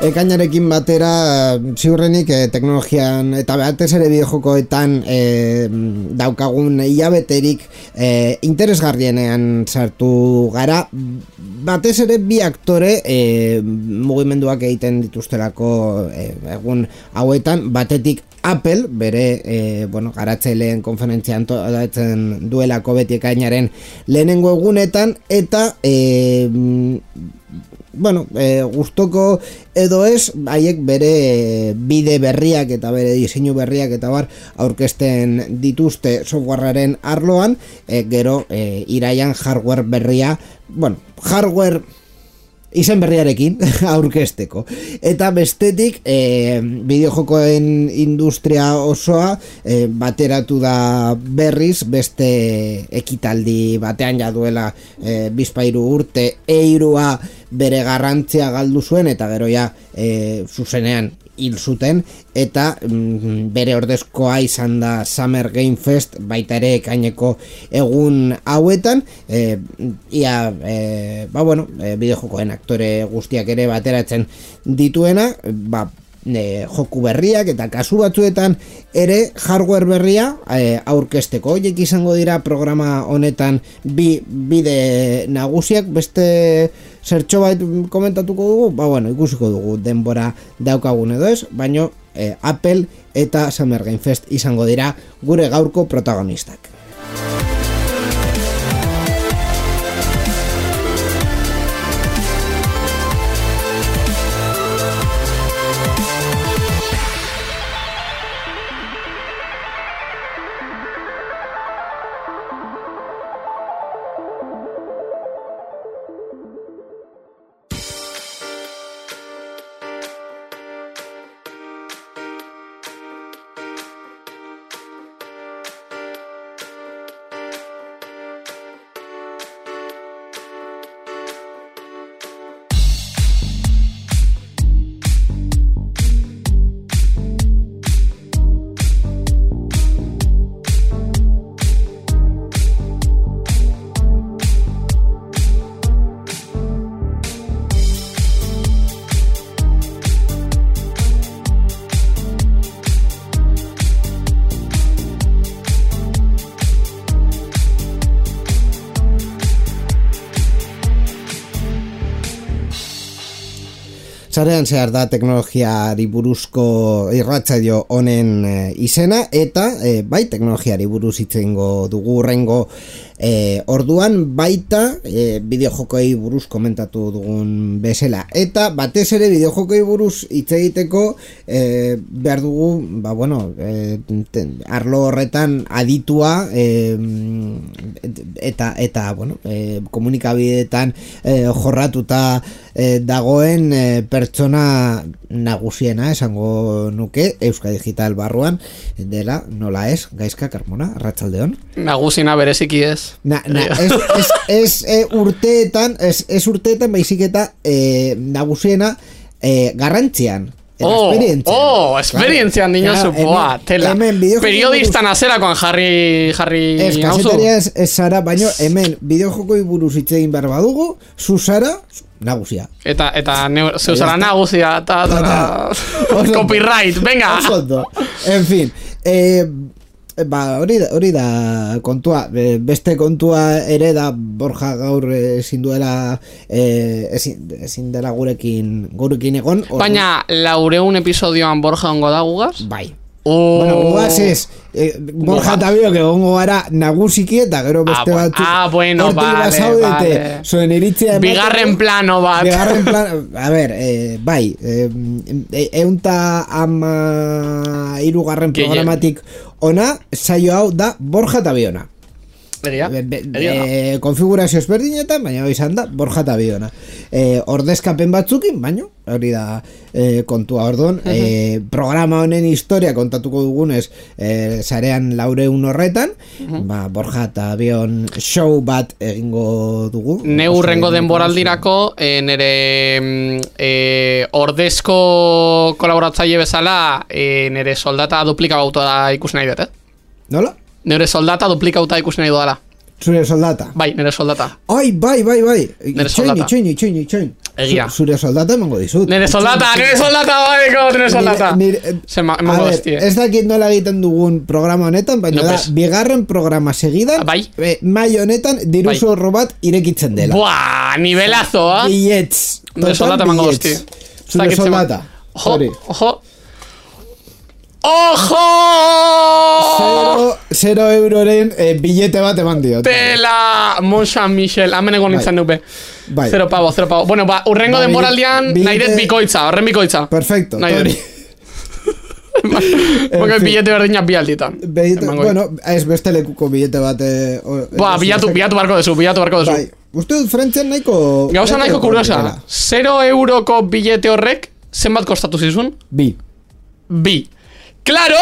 Ekainarekin batera ziurrenik teknologian eta batez ere bideojokoetan daukagun hilabeterik interesgarrienean sartu gara, batez ere bi aktore mugimenduak egiten dituztelako egun hauetan, batetik Apple, bere garatzaileen konferentzia antolatzen duelako beti ekainaren lehenengo egunetan, eta gustoko edo ez, haiek bere bide berriak eta bere diseinu berriak eta bar aurkezten dituzte softwarearen arloan, gero iraian hardware berria, hardware izen berriarekin aurkezteko. Eta bestetik bideojokoen industria osoa bateratu da berriz beste ekitaldi batean ja duela bizpahiru urte eirua bere garrantzia galdu zuen eta gero ja zuzenean hil zuten, eta bere ordezkoa izan da Summer Game Fest, baita ere ekaineko egun hauetan, bideojokoen aktore guztiak ere bateratzen dituena, joku berriak eta kasu batzuetan ere hardware berria aurkezteko. Horiek izango dira programa honetan bide nagusiak. Beste zertxo bait komentatuko dugu, ikusiko dugu denbora daukagun edo ez, baino Apple eta Summer Game Fest izango dira gure gaurko protagonistak. Sarean zehar da teknologiari buruzko irratsaio honen izena, eta bai teknologiari buruz hitz egingo dugu hurrengo orduan, baita bideojokoei buruz komentatu dugun bezala, eta batez ere bideojokoei buruz hitz egiteko behar dugu arlo horretan aditua eta komunikabideetan jorratuta dagoen pertsona nagusiena esango nuke Euskadi Digital barruan dela, nola ez, Gaizka Carmona, arratsaldeon. Nagusina bereziki ez. Ez urteetan baizik eta nagusiena garrantzian. Esperientzian dinozu, tela. Periodistan azerakoan jarri kazetaria ez zara, baino hemen bideojokoi buruz hitz egin behar badugu, zu zara nagusia. Eta zeu zara nagusia, copyright, venga! En fin, hori da kontua. Beste kontua ere da Borja gaur ezin dela gurekin egon. Baina 400 episodioan Borja ongo da gugaz? Bai. Gugaz ez, Borja eta biok egongo gara nagusiki eta gero beste batzuk vale. Zuen iritzia bigarren plano bat. A ber, bai, 113 programatik ona, saio hau da Borja eta biona. konfigurazio ezberdinetan, baina izan da Borja Tabiona. Ordezkapen batzukin, baina hori da kontua orduan. Programa honen historia kontatuko dugunez sarean 400 horretan, Borja Tabion show bat egingo dugu. Neurrengo denboraldirako nire ordezko kolaboratzaile bezala nire soldata duplikauta ikusi nahi dut, Nola? Nire soldata duplikauta ikusi nahi dudala. Zure soldata? Bai, nire soldata. Ai, bai. Nire soldata. Itxoin. Egia. Zure soldata emango dizut. Nire soldata, nire soldata. A ver, ez dakit nola egiten dugun programa honetan, baina da, bigarren programa segidan, mai honetan, diru zorro bat irekitzen dela. Buah, nivelazo, Billets. Nire soldata emango dizti. Zure soldata. Ojo. ¡Ojo! 0 euroren billete bat eman diot. Tela! Mont Saint-Michel, hemen egon nintzen dupe. 0 pavo. Bueno, urrengo denboraldian nahi dut bikoitza, horren bikoitza. Perfecto, Tori. Porque billete berdinak bi alditan. Bueno, ez beste lekuko billete bat... bilatu barko dezu. Bai, uste dut frentzian nahiko... Gauza nahiko kuriosa. 0 euroko billete horrek, zenbat kostatu zizun? Bi. Claro,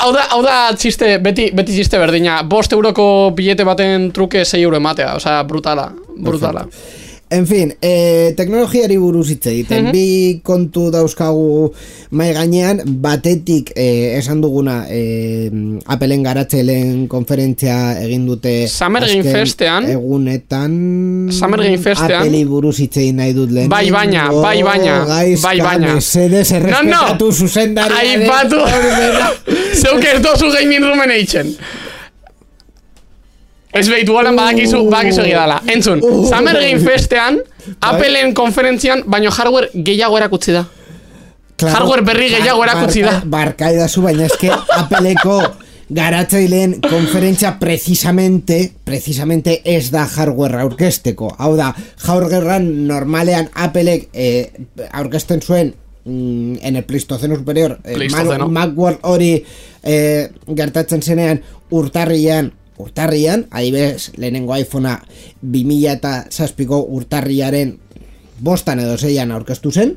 hau da txiste, beti txiste berdina. 5 euroko billete baten truke 6 euro ematea, osea, brutala. En fin, teknologiari buruz hitz egiten, bi kontu dauzkagu mai gainean, batetik esan duguna Appleen garatzaileen konferentzia egin dute Summer Game Festean egunetan Appleei buruz hitz egin nahi dut lehen. Bai baina. Mesedes errespetatu zuzendariaren. Aipatu. Zeuk ez dozu gaming roomen eitzen. Ez behitu golan badakizu egidala. Entzun, Summer Game Festean, Appleen konferentzian, baino hardware gehiago erakutsi da. Hardware berri gehiago erakutsi da. Barkaidazu, baina eske Appleko garatzaileen konferentzia precisamente ez da hardware aurkezteko. Hau da, hardwarean normalean Applek aurkezten zuen en el Pleistoceno superior, Macworld hori gertatzen zenean urtarrian, adibidez, lehenengo iPhonea 2007ko urtarriaren 5 edo 6 aurkeztu zen.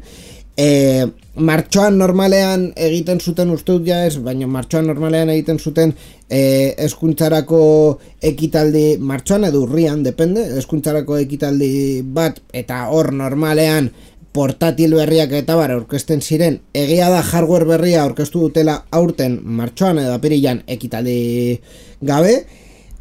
Martxoan normalean egiten zuten, uste dut ja ez, baina martxoan normalean egiten zuten hezkuntzarako ekitaldi, martxoan edo urrian, depende, hezkuntzarako ekitaldi bat, eta hor normalean portatil berriak eta bar aurkezten ziren. Egia da hardware berria aurkeztu dutela aurten martxoan edo apirilan ekitaldi gabe.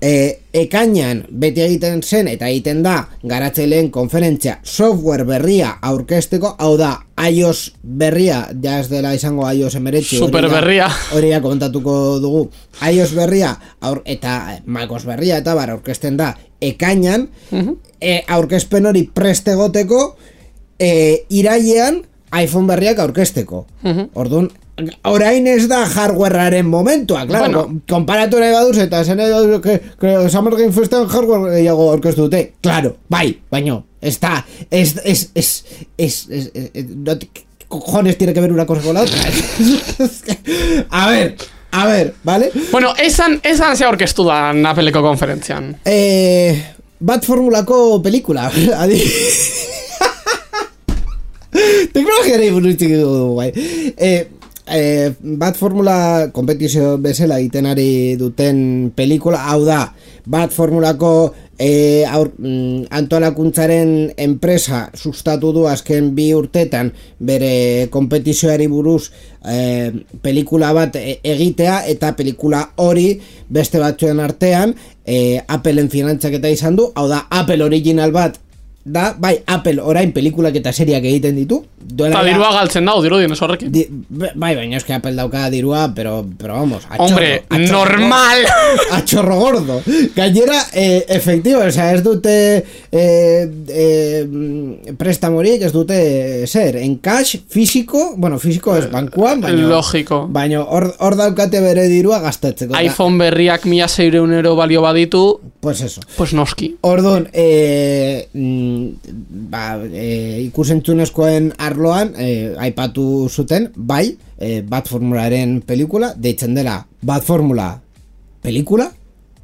Ekainan beti egiten zen eta egiten da garatzaileen konferentzia software berria aurkezteko, hau da iOS berria, ja ez dela izango iOS 19 super berria, hori ja kontatuko dugu, iOS berria eta macOS berria eta bar aurkezten da ekainan. Aurkezpen hori prest egoteko irailean iPhone berriak aurkezteko. Orduan, orain ez da hardwarearen momentua, claro, konparatu nahi baduz eta zen edo que Summer Game Festean hardware gehiago aurkeztu dute, claro, bai, baino, está, no cojones tiene que ver una cosa con la otra. A ver, ¿vale? Bueno, esan ze aurkeztu da Appleko konferentzian. Bat formulako pelikula, adi. Teknologiari buruz dugu, bai. Bat formula kompetizio bezala egiten ari duten pelikula, hau da, bat formulako antolakuntzaren enpresa sustatu du azken 2 urtetan bere kompetizioari buruz pelikula bat egitea, eta pelikula hori beste batzuen artean Appleen finantzaketa izan du, hau da, Apple original bat da, bai, Apple orain pelikulak eta seriak egiten ditu. Eta dirua galtzen dau, dirudien ez horrekin. Bai, baina eske Apple dauka dirua, pero vamos, a hombre, chorro, normal! A chorro gordo. Gainera, efectivo, o sea, ez dute prestamorik, ez dute zer, en cash, físico, bueno, físico ez bankuan, baina... Lógico. Baina hor daukate bere dirua gastatzeko. iPhone berriak 1.600 euro balio baditu, pues eso. Pues noski. Orduan, ikusentzunezkoen arloan aipatu zuten, bai, Bat Formularen pelikula, deitzen dela Bat Formula pelikula,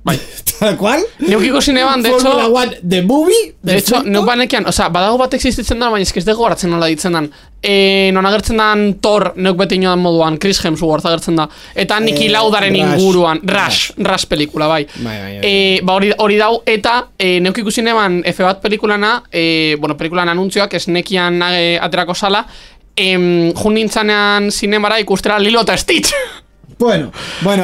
Bai. Tal cual. Neuk ikusi neban, de hecho... Formula 1, the movie. De hecho, neuk banekian, oza, badago bat existitzen da, baina ez dugu horatzen nola ditzen dan. Non agertzen dan Thor, neuk beti inoan moduan, Chris Hemsworth agertzen da. Eta Niki Laudaren inguruan, Rush pelikula, bai. Ba hori dau, eta neuk ikusi neban F1 pelikulana, pelikulan anuntzioak, ez nekian aterako sala, jun nintzanean zinemara ikustera Lilo eta Stitch. Bueno,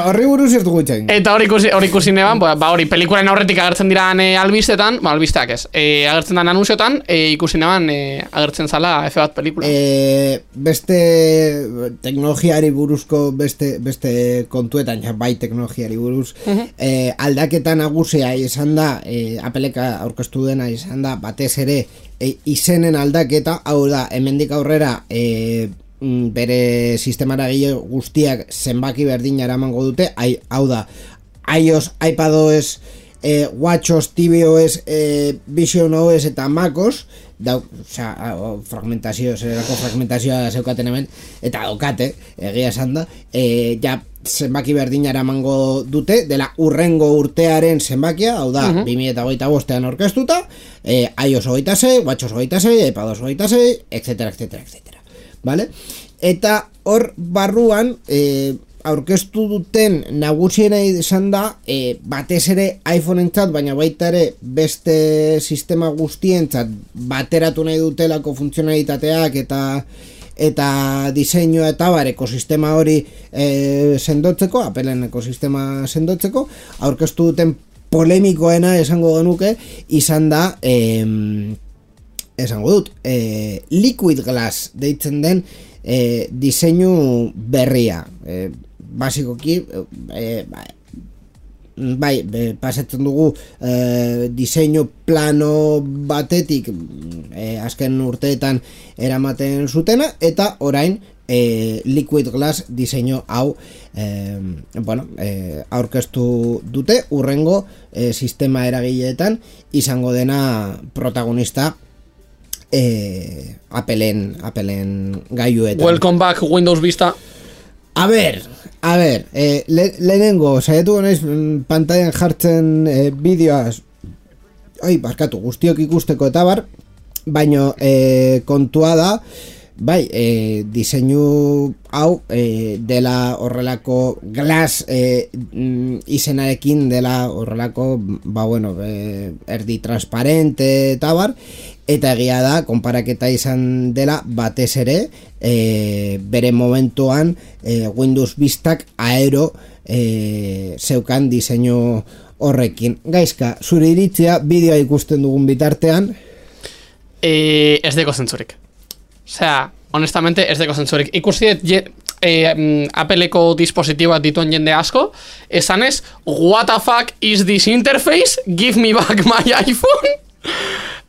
horri buruz ez dugu itxain. Eta hori ikusi neban, hori pelikulen aurretik agertzen diran albistetan, albisteak ez, agertzen dan anunziotan, ikusi neban agertzen zala F1 pelikula. Beste teknologiari buruzko beste kontuetan, bai teknologiari buruz, aldaketa nagusia izan da, Appleka aurkeztu dena izan da, batez ere, izenen aldaketa, hau da, hemendik aurrera, bere sistemara guztiak zenbaki berdina eramango dute, hau da, iOS, iPadOS, WatchOS, tvOS, visionOS eta macOS, fragmentazioa zeukaten hemen, eta daukate, egia esan da, ja zenbaki berdina eramango dute, dela urrengo urtearen zenbakia, hau da, 2025an orkestuta, iOS 26, WatchOS 26, iPadOS 26, etc. Vale? Eta hor barruan aurkeztu duten nagusiena izan da batez ere iPhoneentzat, baina baita ere beste sistema guztientzat bateratu nahi dutelako funtzionalitateak eta diseinua eta ekosistema hori sendotzeko, Appleen ekosistema sendotzeko, aurkeztu duten polemikoena esango genuke izan da esango dut, Liquid Glass deitzen den diseinu berria. Basikoki, pasatzen dugu diseinu plano batetik azken urteetan eramaten zutena, eta orain Liquid Glass diseinu hau aurkeztu dute urrengo sistema eragileetan izango dena protagonista Appleen gaiuetan. Welcome back Windows Vista. A ver, lehenengo saiatu naiz pantailan jartzen bideoaz, barkatu, guztiok ikusteko eta bar, baino kontua da, bai, diseinu hau dela horrelako Glass izenarekin dela horrelako, erdi transparente eta bar, eta egia da, konparaketa izan dela batez ere, bere momentuan Windows Vistak aero zeukan diseinu horrekin. Gaizka, zure iritzia, bideoa ikusten dugun bitartean? Ez deko zentzurik. Osea, honestamente, ez deko zentzurik. Ikusi Appleko dispositiboak dituen jende asko, esanez, what the fuck is this interface? Give me back my iPhone?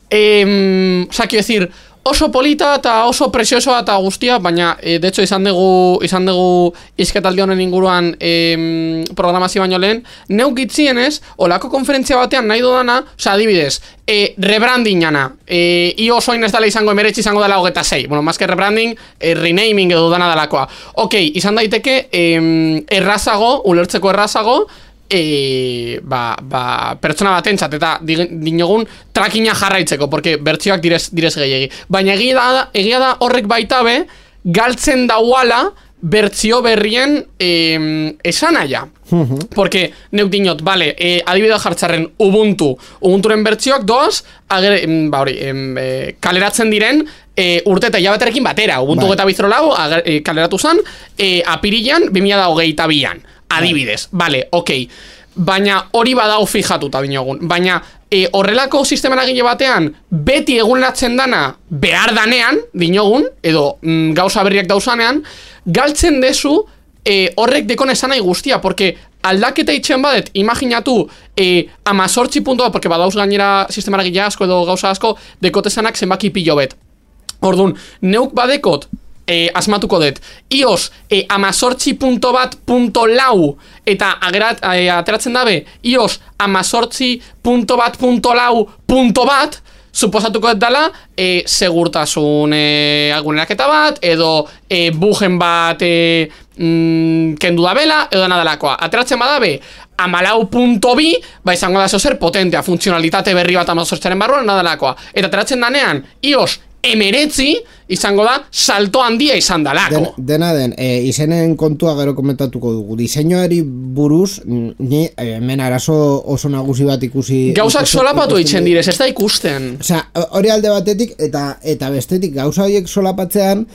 Quiero decir, oso polita eta oso presiosoa eta guztia, baina de hecho izan dugu izketaldi honen inguruan programazio baino lehen, neuk itzienez, olako konferentzia batean nahi dudana, adibidez, rebrandingana, iOS oin ez dala izango emeretxe izango dela 26, bueno, más que rebranding, renaming edo dana dalakoa. Ok, izan daiteke errazago, ulertzeko errazago, pertsona batentzat eta dinogun trackinga jarraitzeko, porque bertsioak direz gehiagi. Baina egia da horrek baita be galtzen dauala bertsio berrien esanaia. Porque neuk dinot, vale, adibidea jartzarren Ubunturen bertsioak doaz kaleratzen diren urte eta hilabeterekin batera. Ubuntu eta bizrolau kaleratu zen apirilan 2022an. Adibidez, vale, ok. Baina hori badau fijatuta dinogun. Baina horrelako sistema eragile batean beti eguneratzen dana behar danean dinogun, edo gauza berriak dauzanean, galtzen dezu horrek dekon esan nahi guztia, porque aldaketa itxen badet, imaginatu 18 puntua, porque badauz gainera sistema eragile asko edo gauza asko dekotezanak zenbaki pilo bet. Orduan, neuk badekot asmatuko dut, iOS 18.1.lau eta ateratzen dabe iOS 18.1.lau.bat, suposatuko ez dala segurtasun aguneraketa bat, edo bugen bat kendu da bela, edo nadalakoa. Ateratzen badabe, 14.2, izango da zer potentea, funtzionalitate berri bat 18aren barruan nadalakoa. Eta ateratzen danean, iOS 19 izango da salto handia izan dalako. Dena den, izenen kontua gero komentatuko dugu. Diseinuari buruz, ni hemen arazo oso nagusi bat ikusi... Gauzak solapatu itzen direz, ez da ikusten. Osea, hori alde batetik eta bestetik gauza horiek solapatzean,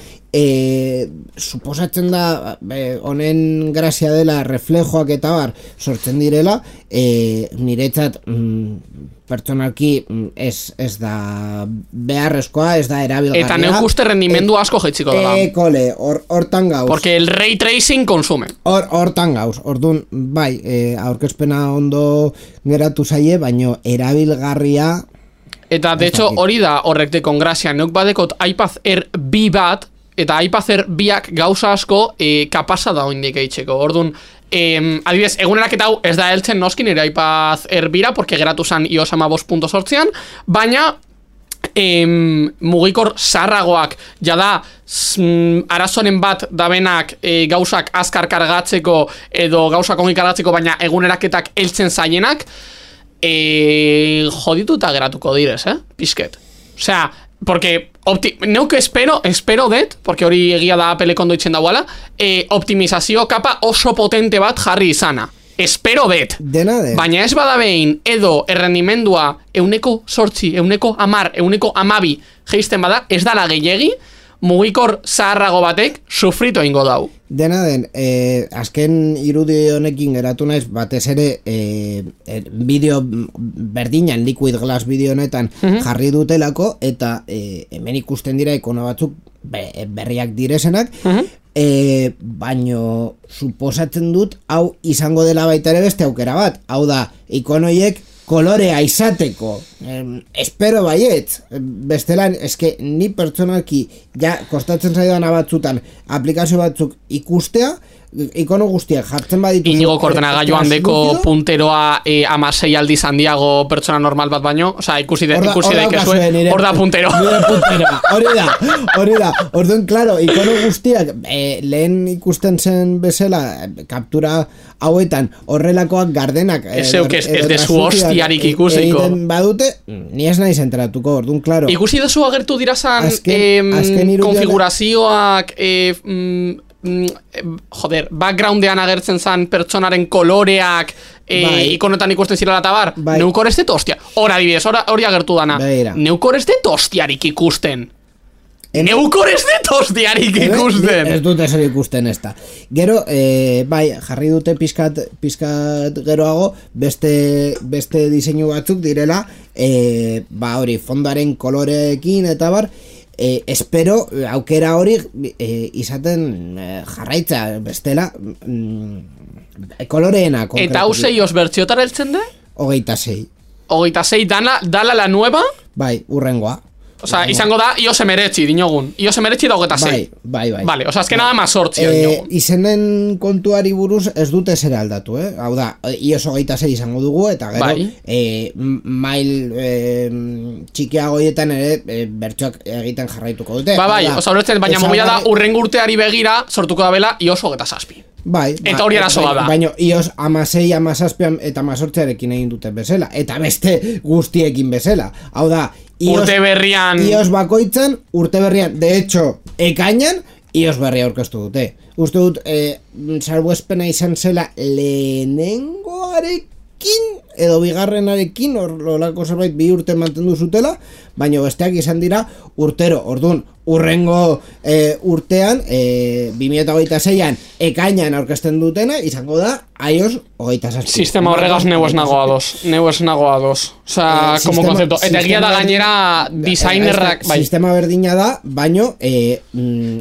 suposatzen da honen grazia dela reflejoak eta bar sortzen direla, niretzat pertsonalki ez da beharrezkoa, ez da erabilgarria. Eta neuk uste rendimendu asko jetziko dela. Kole, hortan gauz. Porque el ray tracing consume. Hortan gauz, orduan, bai, aurkezpena ondo geratu zaie, baino erabilgarria... Eta, de hecho, hori da horrek dekon grazia. Neuk badekot iPad Air B bat, eta iPad Air biak gauza asko kapasa da oindik eitzeko. Orduan, adibidez, egunerak eta hau ez da heltzen noskin ere iPad Air bira, porque geratu zan iOS 15.8an, baina mugikor zaharragoak jada arazoren bat dabenak gauzak azkar kargatzeko edo gauzak ongi kargatzeko, baina eguneraketak heltzen zaienak jodituta geratuko direz, pizket. Osea, porque neuk espero det, porque hori egia da Apple kondo itzen dauala, optimizazio kapa oso potente bat jarri izana. Espero det. Baina ez badabein edo errendimendua 1/8, 1/10, 1/12 geisten bada, ez dala gehiegi, mugikor zaharrago batek sufrito ingo dau. Dena den, azken irudi honekin geratu naiz, batez ere bideo berdinan, Liquid Glass bideo honetan jarri dutelako, eta hemen ikusten dira ikono batzuk berriak direzenak, baino suposatzen dut hau izango dela baita ere beste aukera bat, hau da, ikonoiek kolorea izateko, espero baiet, bestelan, eske ni pertsonalki ja kostatzen zaidan batzutan aplikazio batzuk ikustea, ikono guztiak jartzen baditu Inigo Kordenagailuan deko punteroa 16 aldiz handiago pertsona normal bat baino, osea, ikusi daikezue, hor da puntero. Hori da. Orduan, claro, ikono guztiak lehen ikusten zen bezala kaptura hauetan horrelakoak gardenak ez dezu hostiarik ikusiko. Badute, ni ez naiz enteratuko, orduan, claro. Ikusi dezu agertu dirazan konfigurazioak backgroundean agertzen zan pertsonaren koloreak ikonotan ikusten zirela eta bar, neukor ez dut hostia. Hora adibidez, hori agertu dana. Neukor ez dut hostiarik ikusten. Neukor ez dut hostiarik ikusten. Ez dut ezer ikusten ez da. Gero, jarri dute pizkat geroago, beste diseinu batzuk direla, hori, fondoaren koloreekin eta bar, espero aukera hori izaten jarraitza bestela koloreena. Eta hau zeioz bertziotara eltzen de? 26. 26 dala la nueva? Bai, urrengoa. Osa, izango da iOS 19 dinogun. iOS 19 da 26. Bai. Vale, osa, azken nada mazortzia dinogun. Izenen kontuari buruz ez dute zer aldatu, Hau da, iOS 26 izango dugu, eta gero mail txikiagoietan ere bertsoak egiten jarraituko dute. Bai, osa, horretzen, baina mobila da urrengo urteari begira sortuko da bela iOS 27. Eta hori arazoa da. Baina iOS 16, 17 eta 18arekin egin dute bezala. Eta beste guztiekin bezala. Hau da, urte berrian iOS bakoitzan, urte berrian, de hecho, ekainan, iOS berria aurkeztu dute. Uste dut, salbuespena izan zela lehenengoarekin edo bigarrenarekin, horrelako zerbait 2 urte mantendu zutela, baina besteak izan dira urtero. Orduan, urrengo urtean 2026an ekainan aurkezten dutena izango da iOS 27. Sistema horregaz neu ez nago ados. Osea, como concepto. Eta egia da gainera designerrak, sistema berdina da, baino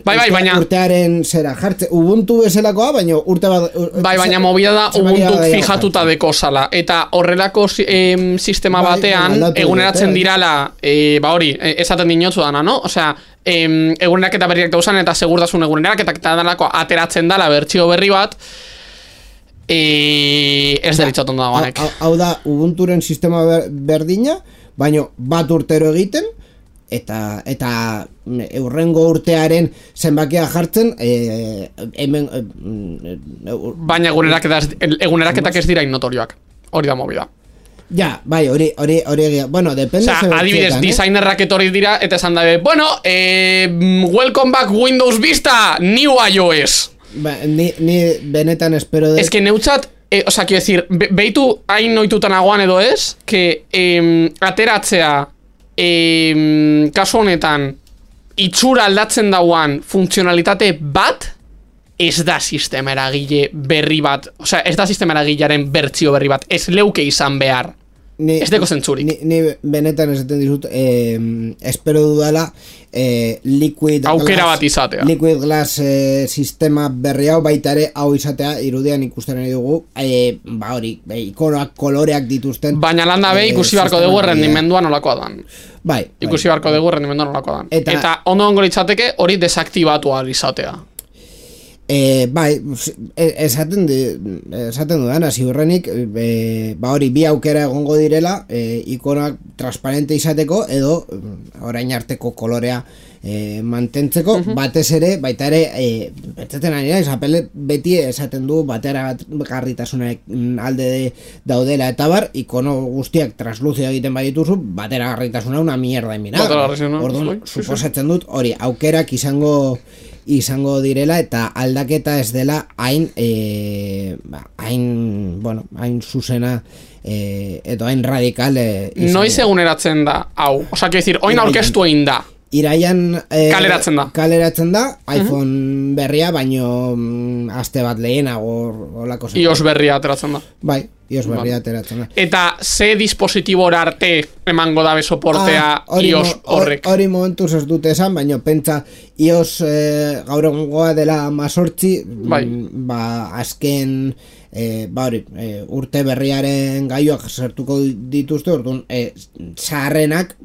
baina urtearen zera jartze Ubuntu bezalakoa, baino urte bat baina movida da Ubuntu fijatuta deko sala. Eta horrelako sistema batean eguneratzen dirala hori, esaten dinotzu dana, no? Osea, egunerak eta berriak dauzan eta segurtasun egunerak eta dalako ateratzen dala bertsio berri bat, ez deritxot ondo dagoanek. Hau da, Ubunturen sistema berdina, baino bat urtero egiten, eta eurrengo urtearen zenbakia jartzen hemen baina eguneraketak ez dira innotorioak, hori da movida. Ja, bai, hori, bueno, depende. Osea, adibidez, designerrak etorri dira, eta esan dabe, bueno, welcome back Windows Vista, new iOS. Ba, ni benetan espero de... Ez que neutzat, osea, quiero decir, behitu hain noitutan agoan edo ez, que ateratzea, kasu honetan, itxura aldatzen dauan funtzionalitate bat, ez da sistema eragile berri bat, osea, ez da sistema eragilearen bertsio berri bat, ez leuke izan behar. Ez deko zentzurik. Ni benetan esaten dizut, espero dudala Liquid bat izatea. Liquid Glass sistema berri hau baita ere hau izatea irudian ikusten nahi dugu, ba hori, ikonoak koloreak dituzten. Baina landa be ikusi beharko dugu errendimendua nolakoa dan. Bai. Ikusi beharko dugu errendimendua nolakoa dan. Eta ondo litzateke hori desaktibatu izatea. Bai, esaten dudan, ziurrenik, ba hori, bi aukera egongo direla, ikonak transparente izateko, edo orain arteko kolorea mantentzeko, batez ere, baita ere, betzaten ari naiz, Apple beti esaten du batera garritasunak alde daudela, eta bar, ikono guztiak transluzio egiten badituzu, batera garritasuna una mierda emina. Orduan, suposatzen dut, hori, aukerak izango direla eta aldaketa ez dela hain zuzena edo hain radikal noiz eguneratzen da hau, osa, quiero decir, oin aurkeztu egin da iraian kaleratzen da iPhone berria, baino aste bat lehenago olako iOS berria ateratzen da. Bai, iOS berria ateratzen da. Eta ze dispositibora arte emango dabe soportea iOS horrek? Hori momentuz ez dute esan, baino pentsa iOS gaur egungoa dela 18, ba azken urte berriaren gaioak sartuko dituzte, orduan zaharrenak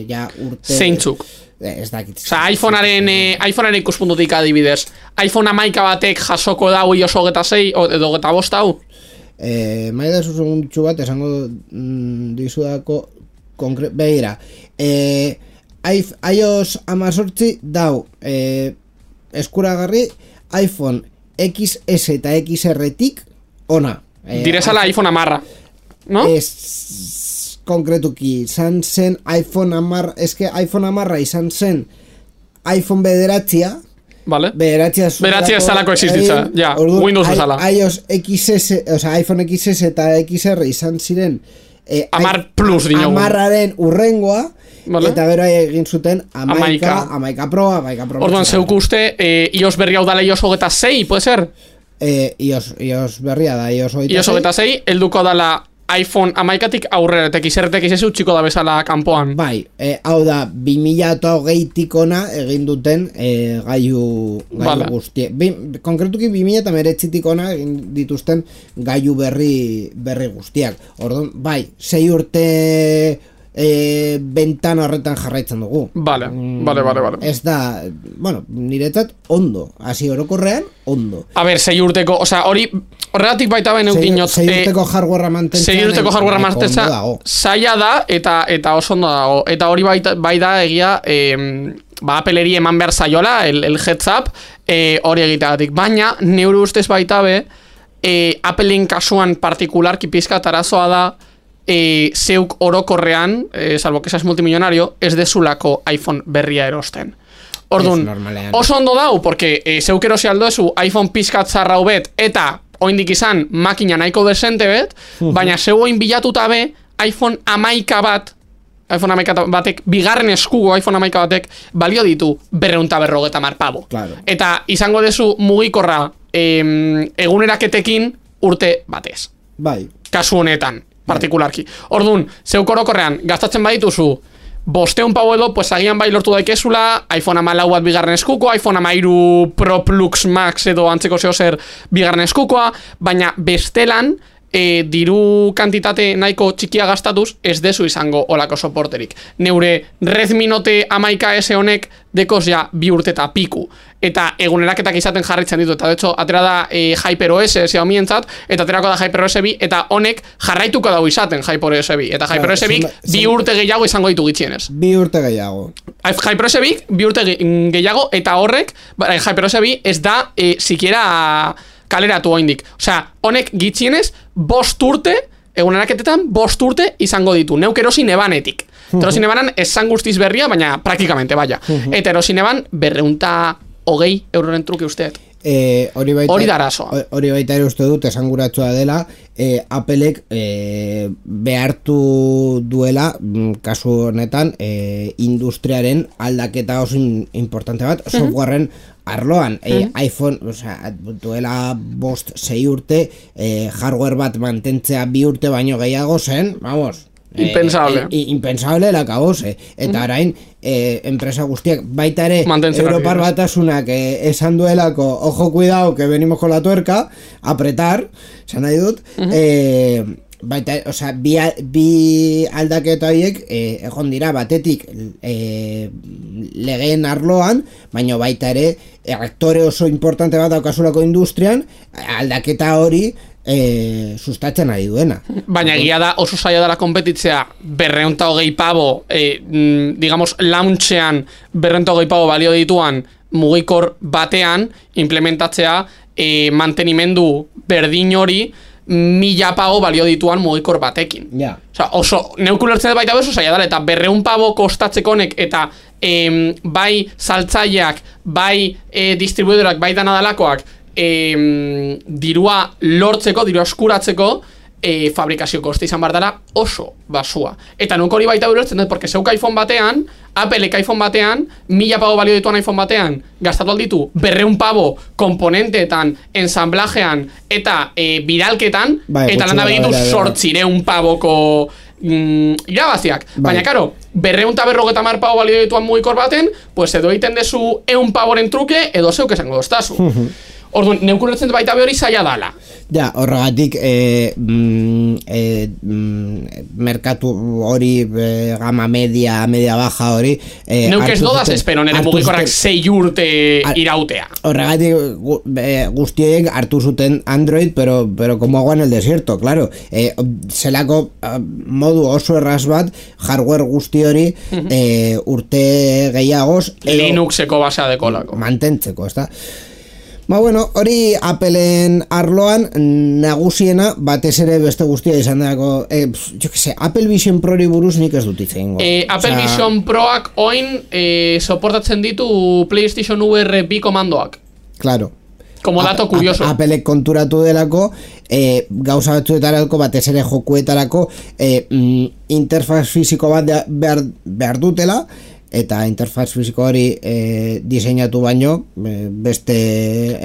ja urte zeintzuk? Ez dakit. Osa, iPhonearen ikuspuntutik adibidez, iPhone 11 batek jasoko dau iOS 26 edo 25 hau? Maida segundutxu bat esango dizudako begira, iOS 18 dau eskuragarri iPhone XS eta XR-tik ona. Direzala iPhone amarra, no? Konkretuki, izan zen iPhone amarra, eske iPhone amarra izan zen iPhone bederatzia, vale. Bederatzia zalako existitza, ja, Windows bezala. iOS XS, oza, iPhone XS eta XR izan ziren Amar Plus dinogu. Amarraren urrengoa, vale. Eta gero egin zuten Amaika Pro. Orduan, zeuku uste, iOS berri hau dala iOS 26, puede ser? iOS berria da, iOS 26. iOS 26, elduko dala iPhone 11-tik aurrera, eta XR-tek izezu txiko da bezala kanpoan. Bai, hau da, 2008-tik ona egin duten gailu guztiek. Konkretuki 2009-tik ona egin dituzten gailu berri guztiak. Orduan, bai, 6 urte bentana horretan jarraitzen dugu. Vale. Ez da, bueno, niretzat ondo, hasi orokorrean ondo. A ver, 6 urteko, osea, horregatik baita baina eukinot 6 urteko hardwarea mantentzea 6 urteko hardwarea mantentzea zaila da eta oso ondo dago. Eta hori bai da egia Appleri eman behar zaiola el heads up hori egiteagatik. Baina, neure ustez baita be Appleen kasuan partikularki pizkat arazoa da zeuk orokorrean, salvo que seas multimillonario, ez dezulako iPhone berria erosten. Orduan, oso ondo dau, porque zeuk erosi aldo ezu iPhone pizkat zarra hubet, eta oindik izan makina nahiko desente bet, baina zeu oin bilatuta be iPhone 11 batek, bigarren eskugo iPhone 11 batek balio ditu 250 pavo. Claro. Eta izango dezu mugikorra eguneraketekin urte batez. Bai. Kasu honetan, partikularki. Orduan, zeuk orokorrean gastatzen badituzu 500 pau edo, pues agian bai lortu daikezula, iPhone 14 bat bigarren eskuko, iPhone 13 Pro Plus Max edo antzeko zehozer bigarren eskukoa, baina bestelan diru kantitate nahiko txikia gastatuz ez dezu izango olako soporterik. Neure Redmi Note 11S honek dekoz ja 2 urte eta piku, eta eguneraketak izaten jarritzen ditu, eta de hecho, atera da HyperOS Xiaomientzat, eta aterako da HyperOS 2, eta honek jarraituko dago izaten HyperOS 2, eta HyperOS 2 2 urte gehiago izango ditu gitxienez. 2 urte gehiago. HyperOS 2 2 urte gehiago, eta horrek, HyperOS 2 ez da sikiera kaleratu oindik. Osea, honek gitxienez 5 urte, eguneraketetan 5 urte izango ditu, neuk erosin ebanetik. Erosin ebanan esan guztiz berria, baina praktikamente, baina. Eta erosin eban 220 euroren truke usteet. Hori da arazoa. Hori baita ere uste dut esanguratsua dela, Applek behartu duela kasu honetan industriaren aldaketa oso importante bat, softwareen arloan, iPhone, duela 5-6 urte, hardware bat mantentzea 2 urte baino gehiago zen, vamos, impensable. Impensable la cabose. Eta orain, enpresa guztiak, baita ere, Europar Batasunak esan duelako, ojo cuidado, que venimos con la tuerca, apretar, esan nahi dut, baita, osea, bi aldaketa horiek egon dira batetik legeen arloan, baina baita ere aktore oso importante bat daukasulako industrian, aldaketa hori sustatzen ari duena. Baina egia da oso zaila dela konpetitzea 220 pavo, digamos, launchean 220 pavo balio dituan mugikor batean implementatzea mantenimendu berdin hori 1000 pavo balio dituan mugikor batekin. Ja. Osea, oso neukulertzen baita oso zaila dela, eta 200 pavo kostatzeko honek, eta bai saltzaileak, bai distribuidorak, bai danadalakoak dirua lortzeko, dirua eskuratzeko fabrikazio koste izan bar dela oso basua. Eta nuk hori baita ulertzen dut, porque zeuk iPhone batean, Applek iPhone batean, 1000 pavo balio dituan iPhone batean, gastatu alditu 200 pavo komponenteetan, ensamblajean eta bidalketan, eta landa begitu 800 pavoko irabaziak. Baina, karo, 250 pavo balio dituan mugikor baten, pues edo egiten dezu 100 pavoren truke, edo zeuk esango doztazu. Orduan, neukuretzen baita behori zaila dala. Ja, horregatik merkatu hori gama media baja hori neuk ez dodaz espero nire mugikorrak 6 urte irautea. Horregatik guztiek hartu zuten Android, pero como agua en el desierto, claro. Zelako modu oso erraz bat hardware guzti hori urte gehiagoz Linuxeko basea dekolako mantentzeko, ezta? Ba bueno, hori Appleen arloan nagusiena batez ere beste guztia izan dago, jo que sé, Apple Vision Prori buruz nik ez dut hitz egingo. Apple Vision Proak oin soportatzen ditu PlayStation VR 2 komandoak. Claro. Como dato curioso. Applek konturatu delako, gauza batzuetarako, batez ere jokuetarako, interfaz fisiko bat behar dutela, eta interfaz fisiko hori diseinatu baino beste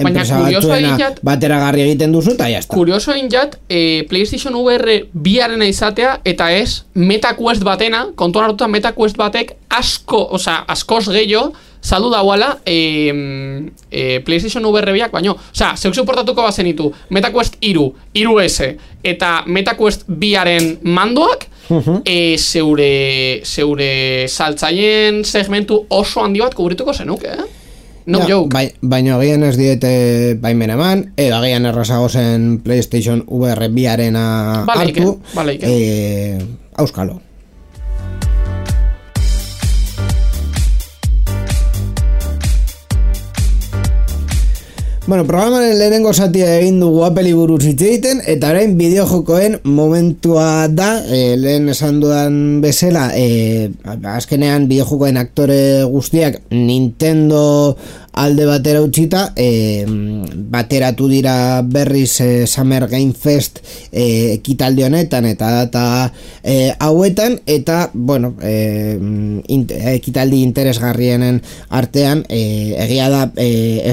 enpresa batzuena bateragarri egiten duzu eta jazta. Kurioso injat, PlayStation VR biarena izatea eta ez MetaQuest batena, kontuan hartuta MetaQuest batek askoz gehiago saldu dauala PlayStation VR biak, baino, zeuk suportatuko bazenitu MetaQuest 3, 3S eta MetaQuest biaren mandoak, zeure saltzaien segmentu oso handi bat kubrituko zenuke, No joke. Baina agian ez diete baimen eman, edo agian errazago zen PlayStation VR biarena hartu, auskalo. Bueno, programaren lehenengo zatia egin dugu Apple buruz hitz egiten, eta orain bideojokoen momentua da, lehen esan dudan bezala, azkenean bideojokoen aktore guztiak Nintendo alde batera utzita, bateratu dira berriz Summer Game Fest ekitaldi honetan eta data hauetan, eta bueno, ekitaldi interesgarrienen artean egia da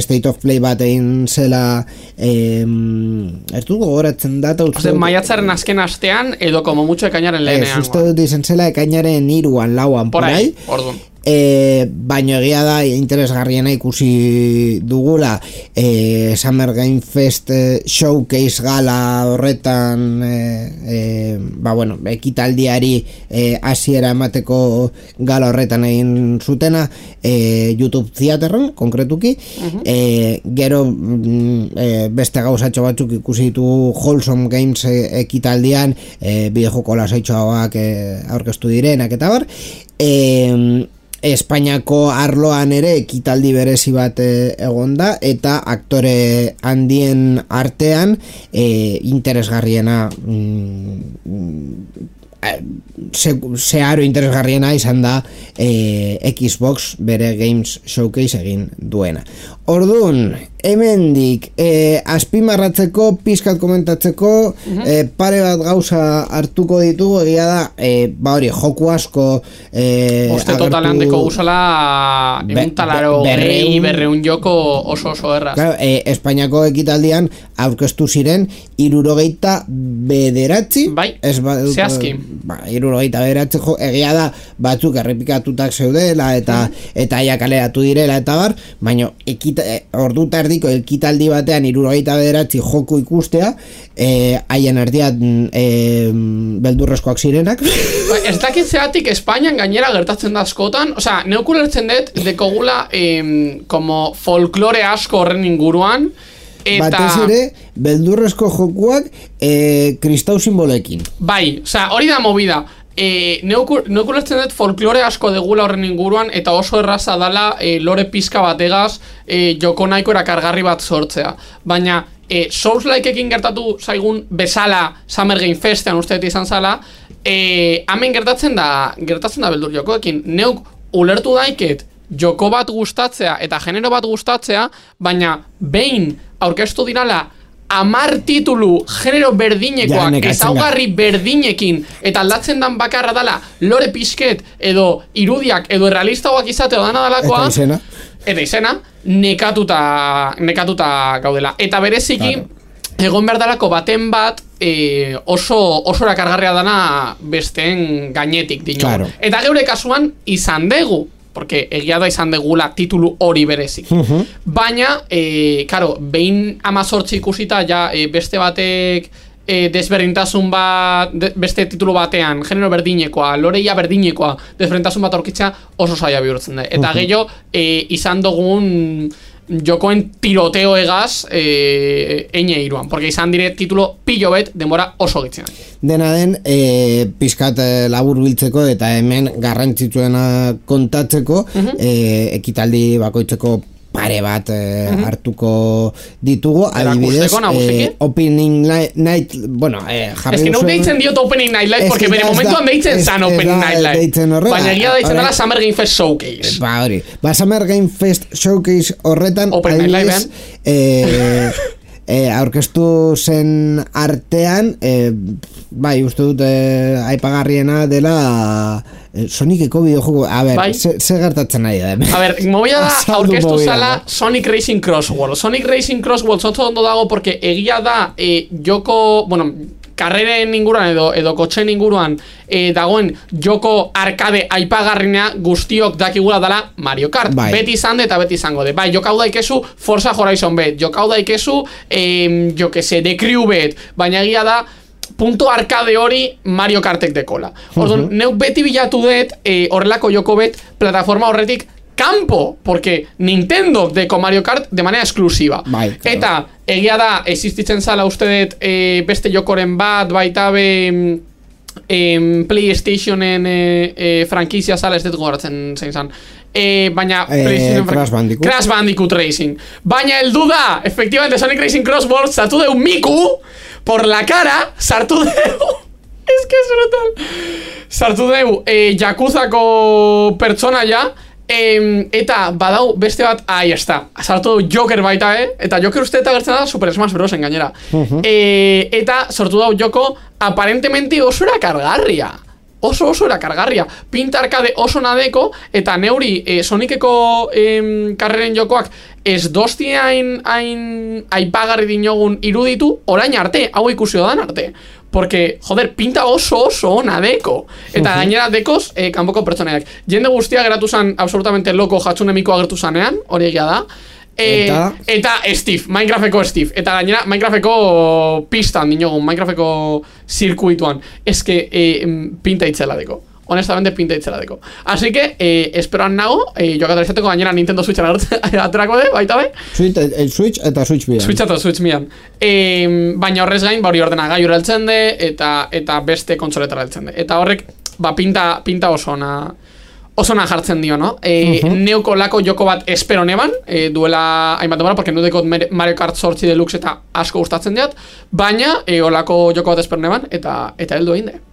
State of Play bat egin zela, ez dut gogoratzen data maiatzaren azken astean edo como mucho ekainaren lehenean uste dut izan zela ekainaren 3-an 4-an por ahí. baino egia da interesgarriena ikusi dugula Summer Game Fest Showcase gala horretan bueno, ekitaldiari hasiera emateko gala horretan egin zutena YouTube Theaterren konkretuki gero beste gauzatxo batzuk ikusi ditu Wholesome Games ekitaldian bideojoko lasaitxoak aurkeztu direnak eta bar Espainiako arloan ere ekitaldi berezi bat egonda eta aktore handien artean interesgarriena zeharo interesgarriena izan da Xbox bere Games Showcase egin duena. Orduan, hemendik azpimarratzeko, pizkat komentatzeko pare bat gauza hartuko ditugu, egia da hori, joku asko uste totalean deko guzala talaro berreun joko oso erraz. Claro, Espainiako ekitaldian aurkeztu ziren 79 bai, zehazki 79 egia da batzuk errepikatutak zeudela eta ja kaleratu direla eta bar, baina ordu tardiko ekitaldi batean 79 joku ikustea haien artean beldurrezkoak zirenak. Ez dakit zeatik Espainian gainera gertatzen da askotan, osea, neukulertzen dut dekogula como folklore asko horren inguruan eta batez ere beldurrezko jokuak kristau simbolekin. Bai, osea, hori da movida. Neukulertzen dut folklore asko degula horren inguruan eta oso erraza dala lore pizka bategaz joko nahiko erakargarri bat sortzea. Baina Souls-likeekin gertatu zaigun bezala Summer Game Festean usteet izan zala hemen gertatzen da beldur jokoekin. Neuk ulertu daiket joko bat gustatzea eta genero bat gustatzea, baina behin aurkeztu dirala 10 titulu genero berdinekoak ezaugarri berdinekin eta aldatzen dan bakarra dala lore pizket edo irudiak edo errealistagoak izateo dana dalakoa eta izena nekatuta gaudela eta bereziki egon behar dalako baten bat oso erakargarria dana besteen gainetik dino. Eta geure kasuan izan dugu porque egia da izan degula titulu hori berezik. Baina, karo, behin 18 ikusita ja beste batek desberdintasun bat, beste titulu batean, genero berdinekoa, loreia berdinekoa, desberdintasun bat aurkitzea oso zaila bihurtzen da. Eta gehiago, izan dugun jokoen tiroteo egaz eine iruan, porque izan dire titulo pilo bet denbora oso gitzen. Dena den, pizkat labur biltzeko eta hemen garrantzitsuena kontatzeko ekitaldi bakoitzeko pare bat hartuko ditugu, adibidez Opening Night, bueno, jarri duzuen... Ez que no deitzen diot Opening Night Live, porque bere momentuan deitzen zan Opening Night Live, baina egia deitzen dela Summer Game Fest Showcase. Ba, hori, Summer Game Fest Showcase horretan, adibidez, aurkeztu zen artean, bai, uste dut aipagarriena dela Soniceko bideojuego. A ber, ze gertatzen nahi da. A ber, movida da aurkeztu zala Sonic Racing Crossworld. Sonic Racing Crossworld oso ondo dago porque egia da joko, bueno, karreren inguruan edo kotxen inguruan dagoen joko arkade aipagarrina guztiok dakigula dela Mario Kart. Beti izan eta beti izango de. Bai, jokau daikezu Forza Horizon bet, jokau daikezu jo que se The Crew bet, baina egia da punto arkade hori Mario Kartek dekola. Orduan, neuk beti bilatu dut horrelako joko bet plataforma horretik campo, porque Nintendo deko Mario Kart de manera exclusiva. Eta egia da, existitzen zala uste dut beste jokoren bat, baita be PlayStationen frankizia zala, ez dut goratzen zein zan. Baina Crash Bandicoot Racing. Baina el duda, efectivamente Sonic Racing Crossworld sartu deu Miku por la cara, sartu deu es que es brutal, sartu deu Yakuzako pertsona ja. Eta badau beste bat, ahí está, sartu deu Joker baita, eta Joker uste eta gertzen da Super Smash Bros. Gainera. Eta sortu dau joko aparentemente oso erakargarria. Oso erakargarria. Pinta arkade oso nadeko, eta neuri Soniceko karreren jokoak ez dosti hain aipagarri dinogun iruditu orain arte, hau ikusi dan arte. porque, joder, pinta oso ona deko. Eta gainera dekoz, kanpoko pertsoneak. Jende guztia geratu zan absolutamente loko jatsunemiko agertu zanean, hori egia da. Eta Steve, Minecrafteko Steve. Eta gainera, Minecrafteko pistan dinogun, Minecrafteko zirkuituan. Ez que pinta itzela deko. Honestamente pinta itzela deko. Así que, esperoan nago, jokatu izateko gainera Nintendo Switchen aterako de, baita be? Switch eta Switch mian. Switch eta Switch mian. Baina horrez gain, hori ordenagailu heltzen de, eta beste kontsoletara heltzen de. Eta horrek, pinta oso ona jartzen dio, no? Neuko lako joko bat espero neban, duela hainbat demora, porque nudekot Mario Kart 8 Deluxe eta asko gustatzen diat, baina olako joko bat espero neban, eta heldu egin de.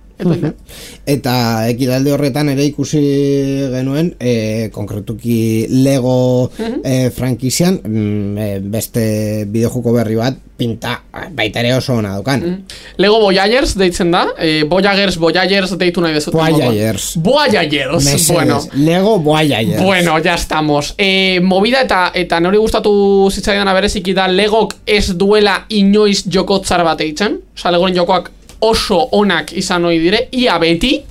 Eta ekitalde horretan ere ikusi genuen konkretuki Lego frankizian beste bideojoko berri bat pinta baita ere oso ona dukan. Lego Voyagers deitzen da, Voyagers deitu nahi dezut. Voyagers, bueno. Lego Voyagers. Bueno, ya estamos. Movida eta nori gustatu zitzaidan bereziki da Legok ez duela inoiz joko tzar bat eitzen. Osa, Legoren jokoak oso onak izan ohi dire, ia beti,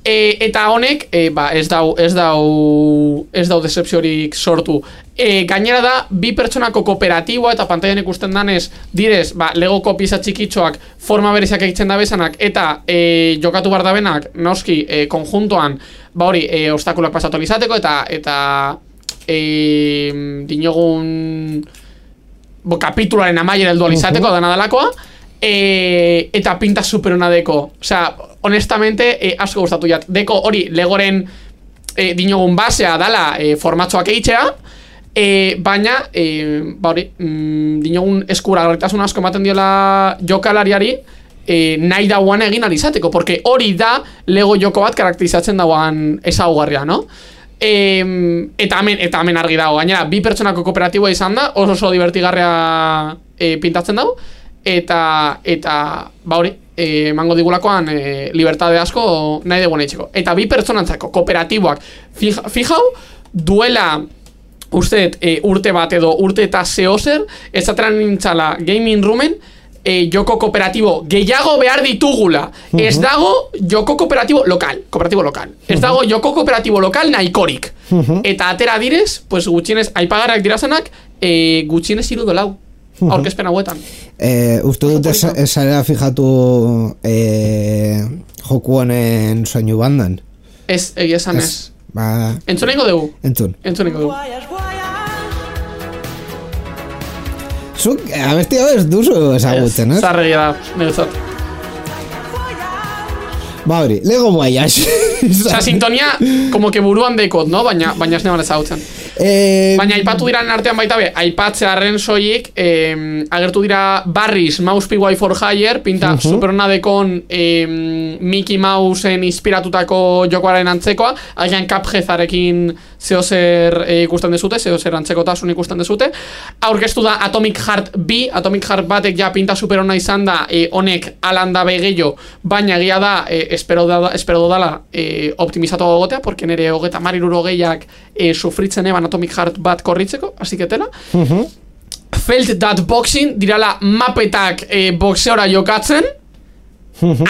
eta honek ez dau decepziorik sortu. Gainera da, bi pertsonako kooperatiboa eta pantailan ikusten danez, direz, Legoko pieza txikitxoak forma bereziak egiten da bezanak, eta jokatu bar da benak, noski, konjuntoan, obstakulak pasatu izateko, eta dinogun kapitularen amaiera heldu izateko, dana dalakoa, eta pinta superona deko. Osea, honestamente, asko gustatu jat. Deko hori, Legoren dinogun basea dala formatzoak eitzea, baina, dinogun eskura garritasun asko ematen diola jokalariari, nahi dauan egin alizateko, porque hori da Lego joko bat karakterizatzen dauan ezaugarria, no? Eta hemen argi dago. Gainera, bi pertsonako kooperatiboa izan da, oso divertigarria pintatzen dago, eta hori, emango digulakoan libertade asko nahi dugu nahitzeko. Eta bi pertsonantzako kooperatiboak fijau, duela urte bat edo urte eta zehozer, ezateran nintzala gaming roomen joko kooperatibo gehiago behar ditugula. Ez dago joko kooperatibo lokal. Ez dago joko kooperatibo lokal nahikorik. Eta atera direz, pues gutxienez, aipagarrak dirazenak, gutxienez $3 aurkezpen hauetan. Uste dut esarela fijatu joku honen soinu bandan? Ez, egia esan ez. Entzun egingo dugu? Entzun egingo dugu. Zuk, abesti hau ez duzu ezagutzen, ez? Zarregia da, negozat. Hori, Lego Voyage. Osa, sintonia, como que buruan dekot, no? Baina ez neban ezagutzen. Baina aipatu diran artean baita be, aipatzearen soilik, agertu dira Barris, Mouse PY for Hire, pinta superona dekon Mickey Mouseen inspiratutako jokoaren antzekoa, agian Cupheadarekin zehozer ikusten dezute, zehozer antzekotasun ikusten dezute. Aurkeztu da Atomic Heart B, Atomic Heart batek ja pinta superona izan da, honek alanda begeio, baina egia da, espero dala optimizatu gogotea, porque nire hogeta mariruro gehiak sufritzen eban Atomic Heart bat korritzeko, así que tela. Felt that boxing, dirala mapetak boxeora jokatzen,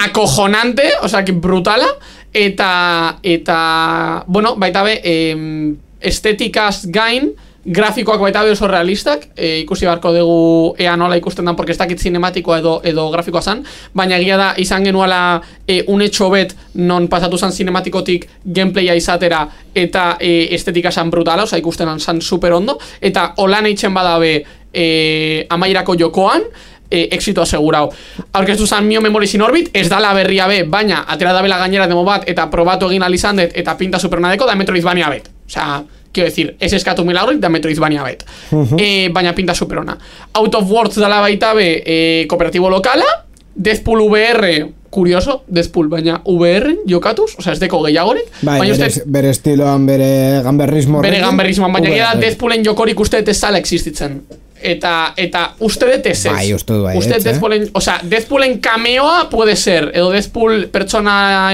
acojonante, o sea, que brutala, eta bueno, baita be, estetikaz gain, grafikoak baita be oso realistak, ikusi barko dugu ea nola ikusten dan, porque ez dakit cinematikoa edo grafikoa zan, baina egia da izan genuala unetxo bet non pasatu zan cinematikotik gameplaya izatera eta estetika zan brutala, oza ikusten zan super ondo, eta holan eitzen badabe amairako jokoan, exito asegurau. Aurkeztu zan Mio Memories in Orbit, ez dala berria be, baina atera dabela gainera demo bat, eta probatu egin alizandet, eta pinta supernadeko, da Metroidvania bet. Osea, quiero decir, ez eskatu milagroik da Metroidvania bet. Baina pinta superona. Out of Words dala baita be, kooperatibo lokala, Deathpool VR, curioso, Deathpool, baina VR jokatuz, osea, ez deko gehiagorik. Bere estiloan, bere gamberrismo. Bere gamberrismoan, baina gira Deathpoolen jokorik uste ez zala existitzen. Eta uste dut ez ez. Bai, uste du bai. Uste Deathpoolen, osea, Deathpoolen cameoa puede ser, edo Deathpool pertsona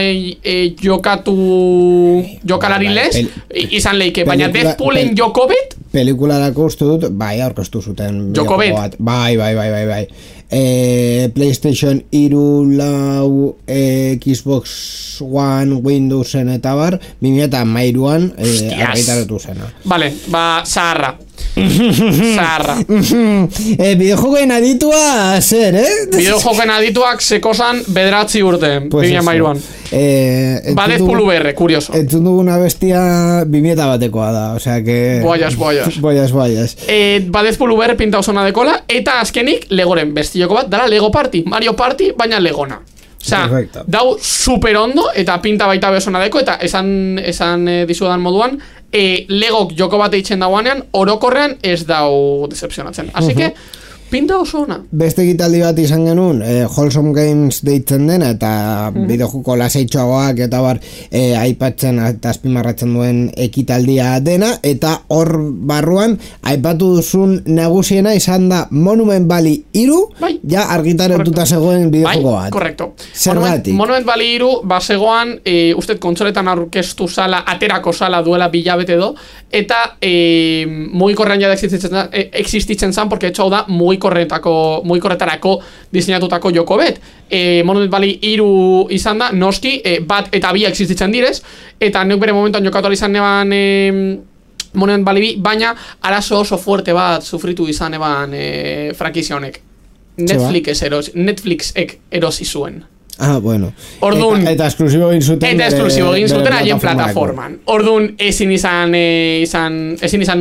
jokalari lez, izan leike, baina Deathpoolen jokobet, pelikularako uste dut, bai, aurkeztu zuten Jokobet. Bai. PlayStation 3, lau, Xbox One, Windowsen eta bar, 2013an argitaratu zena. Vale, zaharra. Bideojokoen aditua, zer, Bideojokoen adituak sekosan 9 urte, 2013an. Badezpulu berre, kurioso. Entzun duguna bestia 2001ekoa da, osea que... Boias. Badezpulu berre pinta osona dekola, eta azkenik Legoren bestioko bat, dara Lego Party, Mario Party, baina Legona. Osea, dau super ondo, eta pinta baita bezona deko, eta esan dizudan moduan, Legok joko bat eitzen dauanean, orokorrean ez dau decepcionatzen. Así que, pinta oso ona. Beste ekitaldi bat izan genuen, Wholesome Games deitzen dena, eta bideojoko lasaitxoagoak eta bar aipatzen eta azpimarratzen duen ekitaldia dena, eta hor barruan aipatu duzun nagusiena izan da Monument Valley 3, ja argitaratuta zegoen bideojoko bat. Korrekto. Zergatik? Monument Valley 3 bazegoan, usted kontsoletan aurkeztu sala, aterako sala duela bilabete do, eta mugikorrean ja existitzen zan, porque etxau da mugikorretarako diseinatutako joko bet. Monument Valley 3 izan da, noski, bat eta bi existitzen direz, eta neuk bere momentuan jokatu izan neban Monument Valley 2, baina arazo oso fuerte bat sufritu izan eban frankizia honek. Netflixek erosi zuen. Bueno. Orduan, eta esklusibo egin zuten haien plataforman. Orduan ezin izan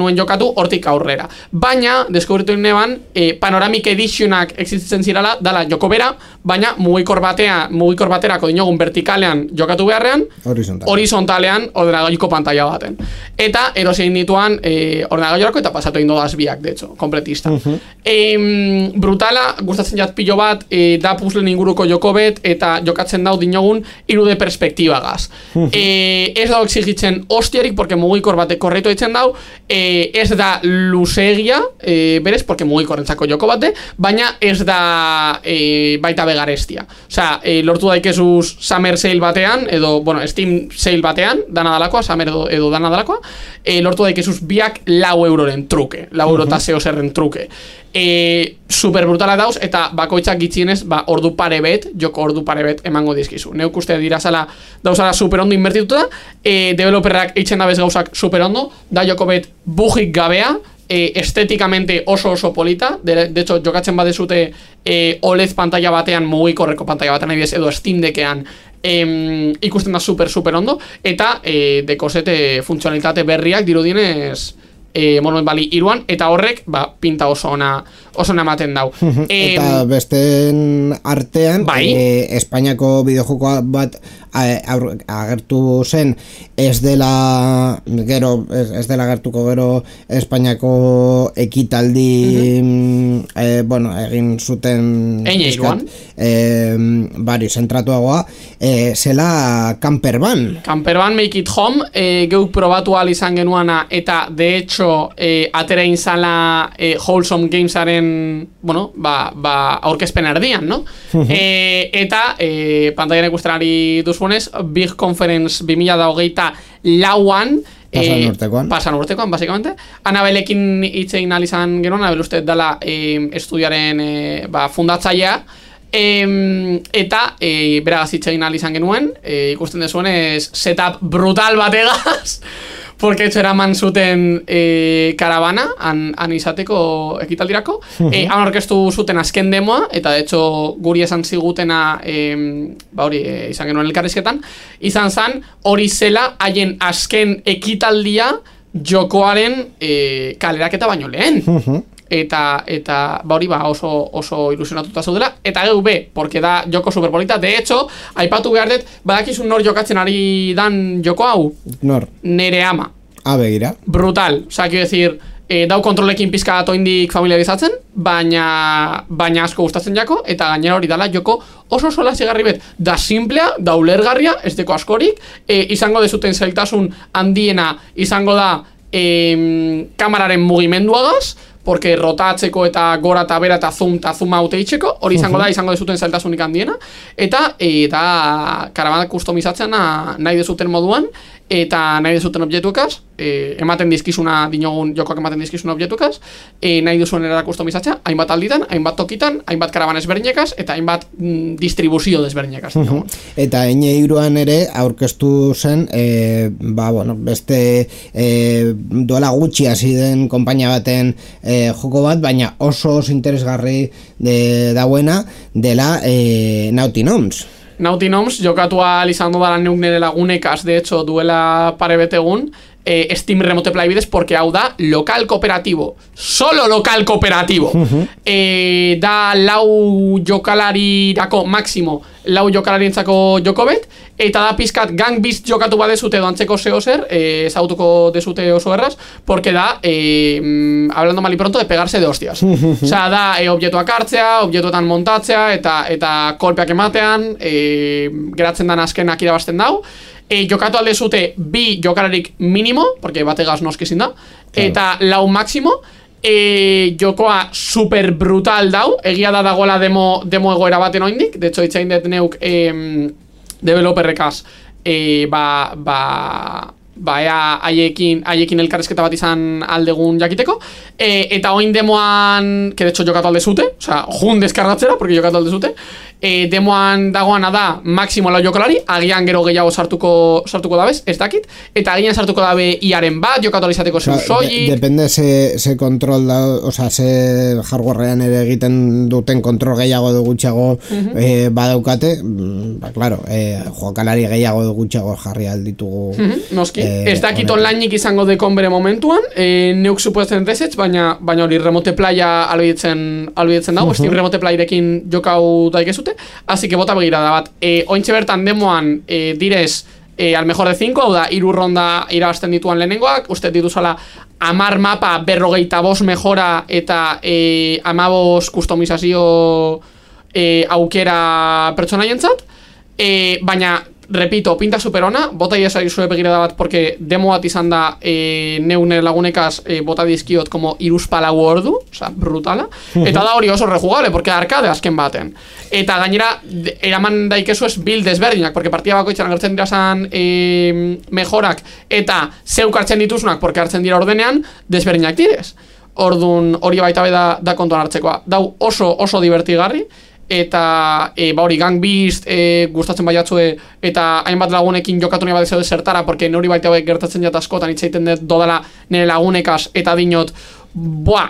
nuen jokatu hortik aurrera. Baina, deskubritu neban, Panoramic Editionak existitzen zirala, dala joko bera, baina mugikor baterako dinogun vertikalean jokatu beharrean, horizontalean ordenagailuko pantalla baten. Eta erosien dituan ordenagailuko eta pasatu egin dodaz biak, de hecho, kompletista. Brutala, gustatzen jat pilo bat, da puzzlen inguruko joko bet, eta jokatzen dau dinogun 3D perspektibagaz. Ez dau exigitzen hostiarik, porque mugikor batek korretu eitzen dau, ez da luzegia, berez, porque mugikorrentzako joko bate, baina ez da baita begarestia. Osea, lortu daikezuz Summer Sale batean, edo, bueno, Steam Sale batean, dana dalakoa, Summer edo dana dalakoa, lortu daikezuz biak 4 euroren truke, 4 euro eta zeo zerren truke. Super brutala dauz, eta bakoitzak gitzienez, ordu pare bet, joko ordu pare bet emango dizkizu. Neuk uste dirazala dauzala super ondo invertituta, developerrak eitzen dabez gauzak super ondo, da joko bet bugik gabea, estetikamente oso polita, de hecho jokatzen badezute OLED pantalla batean, mugikorreko pantalla batean edo Steam Deckean, ikusten da super ondo, eta dekosete funtzionalitate berriak dirudienez Monument Valley 3an, eta horrek pinta oso ona ematen dau. Eta besten artean, Espainiako bideojoko bat agertu zen, ez dela agertuko gero Espainiako ekitaldi egin zuten bari zentratuagoa, zela Campervan Make It Home, geuk probatu ahal izan genuana, eta de hecho atera inzala Wholesome Gamesaren aurkezpen erdian, no? Eta pantaian ikustenari duzunez, Big Conference 2024an pasan urtekoan, basikamente. Anabelekin hitzein izan genuen, Anabel uste dela estudiaren fundatzailea, eta beragaz hitzein izan genuen, ikusten dezuenez setup brutal bategaz, porque etxo eraman zuten karavana han izateko ekitaldirako, han orkestu zuten azken demoa, eta de hecho guri esan zigutena izan genuen elkarrizketan, izan zan hori zela haien azken ekitaldia jokoaren kaleraketa baino lehen. Eta hori oso ilusionatuta zaudela, eta geu porque da joko superpolita. De hecho, aipatu behar dut, badakizun nor jokatzen ari dan joko hau? Nor? Nere ama. Begira. Brutal, quiero decir, dau kontrolekin pizka atoindik familiarizatzen, baina asko gustatzen jako, eta gainera hori dala joko oso zigarri bet, da simplea, da ulergarria, ez deko askorik, izango dezuten zailtasun handiena, izango da kamararen mugimenduagaz, porque rotatzeko eta gora eta bera eta zoom out eitzeko, hori izango da, izango dezuten zailtasunik handiena, eta karavana kustomizatzen nahi dezuten moduan, eta nahi duzuten objektuekaz, ematen dizkizuna dinogun jokoak ematen dizkizuna objektuekaz, nahi duzuen era kustomizatzea, hainbat alditan, hainbat tokitan, hainbat karaban ezberdinekaz, eta hainbat distribuzio desberdinekaz. Eta N3an ere aurkeztu zen, beste duela gutxi hasi den konpainia baten joko bat, baina oso interesgarri dauena dela Naughty Gnomes. Naughty Gnomes jokatua izan dudala neuk nire lagunekaz, de hecho, duela pare betegun, Steam Remote Play bidez, porque hau da local cooperativo, solo local cooperativo. Da lau jokalarirako máximo, lau jokalarientzako joko bet, eta da pizkat Gang Beast jokatu badezute edo antzeko zer, ezagutuko dezute oso erraz, porque da, hablando mal y pronto, de pegarse de hostias. Osea, da objektuak hartzea, objektuetan montatzea, eta kolpeak ematean, geratzen dan azkenak irabazten dau. Jokatu alde zute bi jokalarik minimo, porque bategaz noski zin da, eta lau máximo. Jokoa super brutal dau, egia da dagoela demo egoera baten oindik, de hecho itxain dut neuk developerrekaz haiekin elkarrezketa bat izan aldegun jakiteko, eta oin demoan, que de hecho jokatu alde zute, osea, jun deskargatzera, porque jokatu alde zute, demoan dagoana da máximo lau jokalari, agian gero gehiago sartuko dabez, ez dakit, eta agian sartuko dabe iaren bat, jokatu alizateko soilik. Depende ze kontrol da, osea, ze hardwarean ere egiten duten kontrol gehiago edo gutxiago badaukate, claro, jokalari gehiago edo gutxiago jarri alditugu. Noski, ez dakit onlineik izango dekon bere momentuan, neuk supuesten desetz, baina hori remote playa albidetzen dago, Steam remote playerekin jokau daikezute, así que bota begirada bat. Ointxe bertan demoan direz al mejor de 5, hau da, 3 ronda irabazten dituan lehenengoak, uste dituzala 10 mapa 45 mejora eta 15 kustomizazio aukera pertsonaientzat, baina repito, pinta superona, bota iesari zure begirada bat, porque demo bat izan da neune lagunekaz bota dizkiot como 3-4 ordu, oza, brutala, eta da hori oso rejugable, porque arcade azken baten. Eta gainera, eraman daikezu ez build desberdinak, porque partia bakoitzan agertzen dira zan mejorak, eta zeuk hartzen dituzunak, porque hartzen dira ordenean, desberdinak direz. Ordun hori baita da kontuan hartzekoa. Dau oso divertigarri, eta hori Gang Beast gustatzen baiatzue, eta hainbat lagunekin jokatu nahi badezeu zertara, porque nori baita gertatzen jat askotan itzaiten dut dodala nire lagunekaz, eta dinot,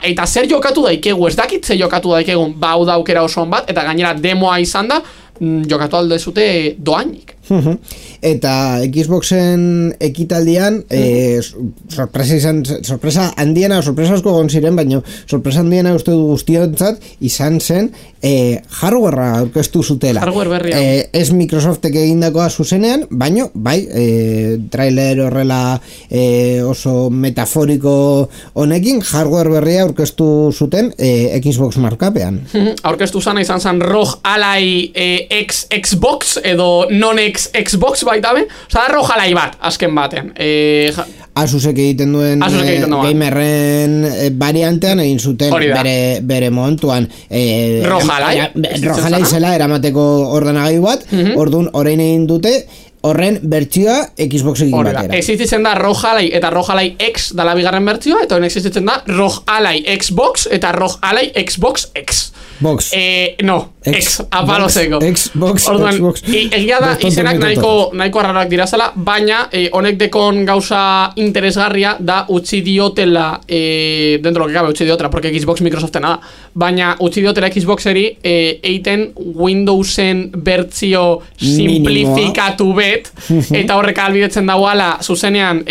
eta zer jokatu daikegu, ez dakit zer jokatu daikegun, hau da aukera osoan bat, eta gainera demoa izan da, jokatu alde zute doainik. Eta Xboxen ekitaldian sorpresa handiena, sorpresa asko egon ziren, baina sorpresa handiena uste du guztiontzat izan zen hardwarea aurkeztu zutela. Hardware berria. Ez Microsoftek egindakoa zuzenean, baina trailer horrela oso metaforiko honekin hardware berria aurkeztu zuten Xbox markapean. Aurkeztu zana izan zen ROG Ally Xbox edo non-Xbox baita be, oza, ROG Ally bat, azken baten. Asusek egiten duen gamerren variantean egin zuten bere momentuan. ROG Ally zela eramateko ordenagailu bat, orduan orain egin dute horren bertsioa Xboxekin batera. Existitzen da ROG Ally eta ROG Ally X dala bigarren bertsioa, eta horren existitzen da ROG Ally Xbox eta ROG Ally Xbox X. Box. No, X, apalozeko. Xbox, orduan, Xbox. Egia da, izenak nahiko arrarak dirazela, baina honek dekon gauza interesgarria da utzi diotela, dentro lo que cabe utzi diotela, porque Xbox Microsoftena da, baina utzi diotela Xboxeri eiten Windowsen bertzio simplifikatu bet, eta horrek albidetzen dauala, zuzenean,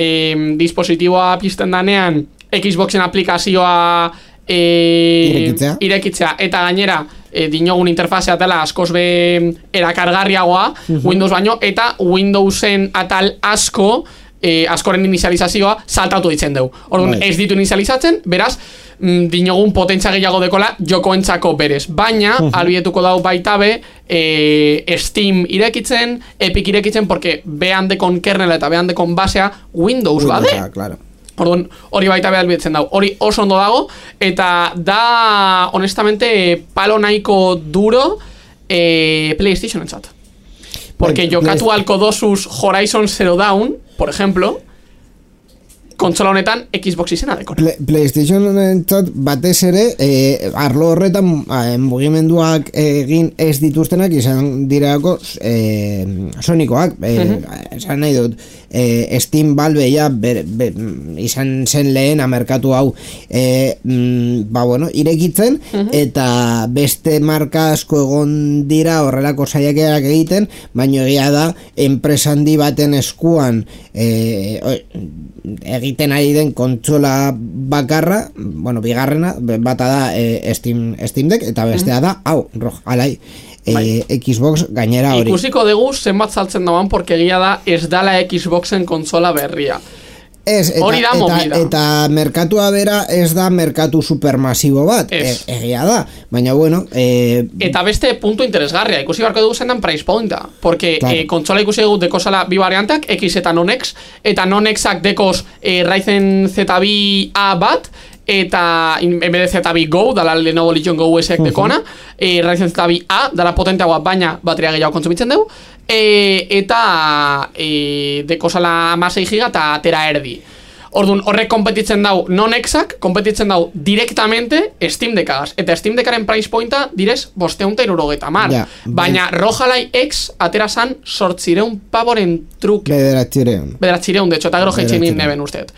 dispositiboa pizten danean, Xboxen aplikazioa irekitzea, eta gainera dinogun interfazea dela askoz be erakargarriagoa Windows baino, eta Windowsen atal askoren inizializazioa saltatu ditzen dugu. Orduan ez ditu inizializatzen, beraz dinogun potentzia gehiago dekola jokoentzako berez, baina albidetuko dau baita be Steam irekitzen, Epic irekitzen, porque behan dekon kernela eta behan dekon basea Windows bade. Claro. Orduan, hori baita behar bidetzen dago, hori oso ondo dago, eta da, honestamente, palo nahiko duro PlayStation entzat. Porque jokatu alko dosuz Horizon Zero Dawn, por ejemplo, kontsola honetan Xbox izena dekona. PlayStation entzat batez ere arlo horretan mugimenduak egin ez dituztenak izan dirako Sonikoak esan nahi dut Steam Valve ja izan zen lehen merkatu hau irekitzen eta beste marka asko egon dira horrelako saiakerak egiten, baina egia da enpresa handi baten eskuan egiten ari den kontsola bakarra, bigarrena bata da Steam Deck eta bestea da ROG Ally Xbox gainera hori. Ikusiko dugu zenbat saltzen dagoen, porque egia da ez dala Xboxen kontsola berria. Hori da movida. Eta merkatua bera ez da merkatu supermasibo bat, egia da, baina eta beste puntu interesgarria, ikusi barko dugu zendan price pointa, porque kontsola ikusi dugu dekozala bi variantak, X eta non-X, eta non-Xak dekoz Ryzen ZB-A bat, eta en vez de ZB Go, dala Lenovo Legion Go S-ek dekona, Ryzen ZB-A, dala potenteagoa, baina bateria gehiago kontsumitzen dugu, eta dekozala 16 giga eta atera erdi. Orduan, horrek kompetitzen dau non-Xak, kompetitzen dau directamente Steam Deckagaz. Eta Steam Deckaren price pointa direz 570. Baina ROG Ally X atera zan 800 pavoren truke. Bederatzireun, de hecho, eta gero jeitxemin neben usteet.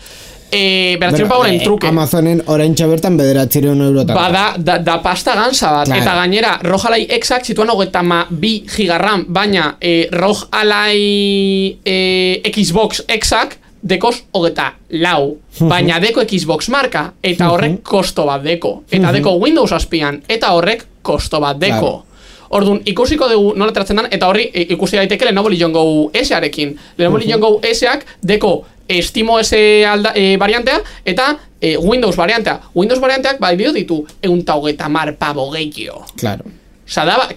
Bederatzireun pavoren truke. Amazonen oraintxe bertan bederatzireun eurotan. Da pasta gansa bat. Claro. Eta gainera, ROG Ally Xak zituan 22 gigarram, baina ROG Ally Xbox Xak dekoz 24, baina deko Xbox marka, eta horrek kosto bat deko. Eta deko Windows azpian, eta horrek kosto bat deko. Orduan, ikusiko dugu nola tratzen dan, eta horri ikusi daiteke Lenovo Legion Go S-arekin. Lenovo Legion Go S-ak deko SteamOS variantea, eta Windows variantea. Windows varianteak bai ditu 130 pavo gehiago. Claro. Osa, da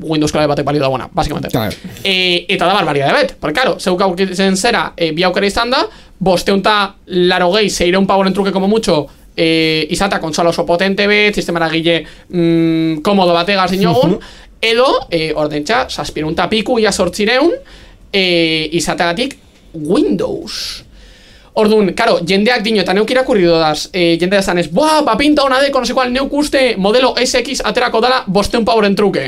Windows klabe batek balio da buena, básicamente. Claro. Eta da barbaria de bet, porque claro, zeuk aukitzen zera, bi aukera izan da, 580 600 pavoren truke como mucho, izata kontsola oso potente bet, sistemara gile komodo bategaz dinogun, edo, ordentxa, 700 piku, ia 800, izategatik Windows. Orduan, karo, jendeak dino, eta neuk irakurri dodaz, jendea zanez, pinta hona deko, no sé cual, neuk uste modelo SX aterako dala 500 pavoren truke.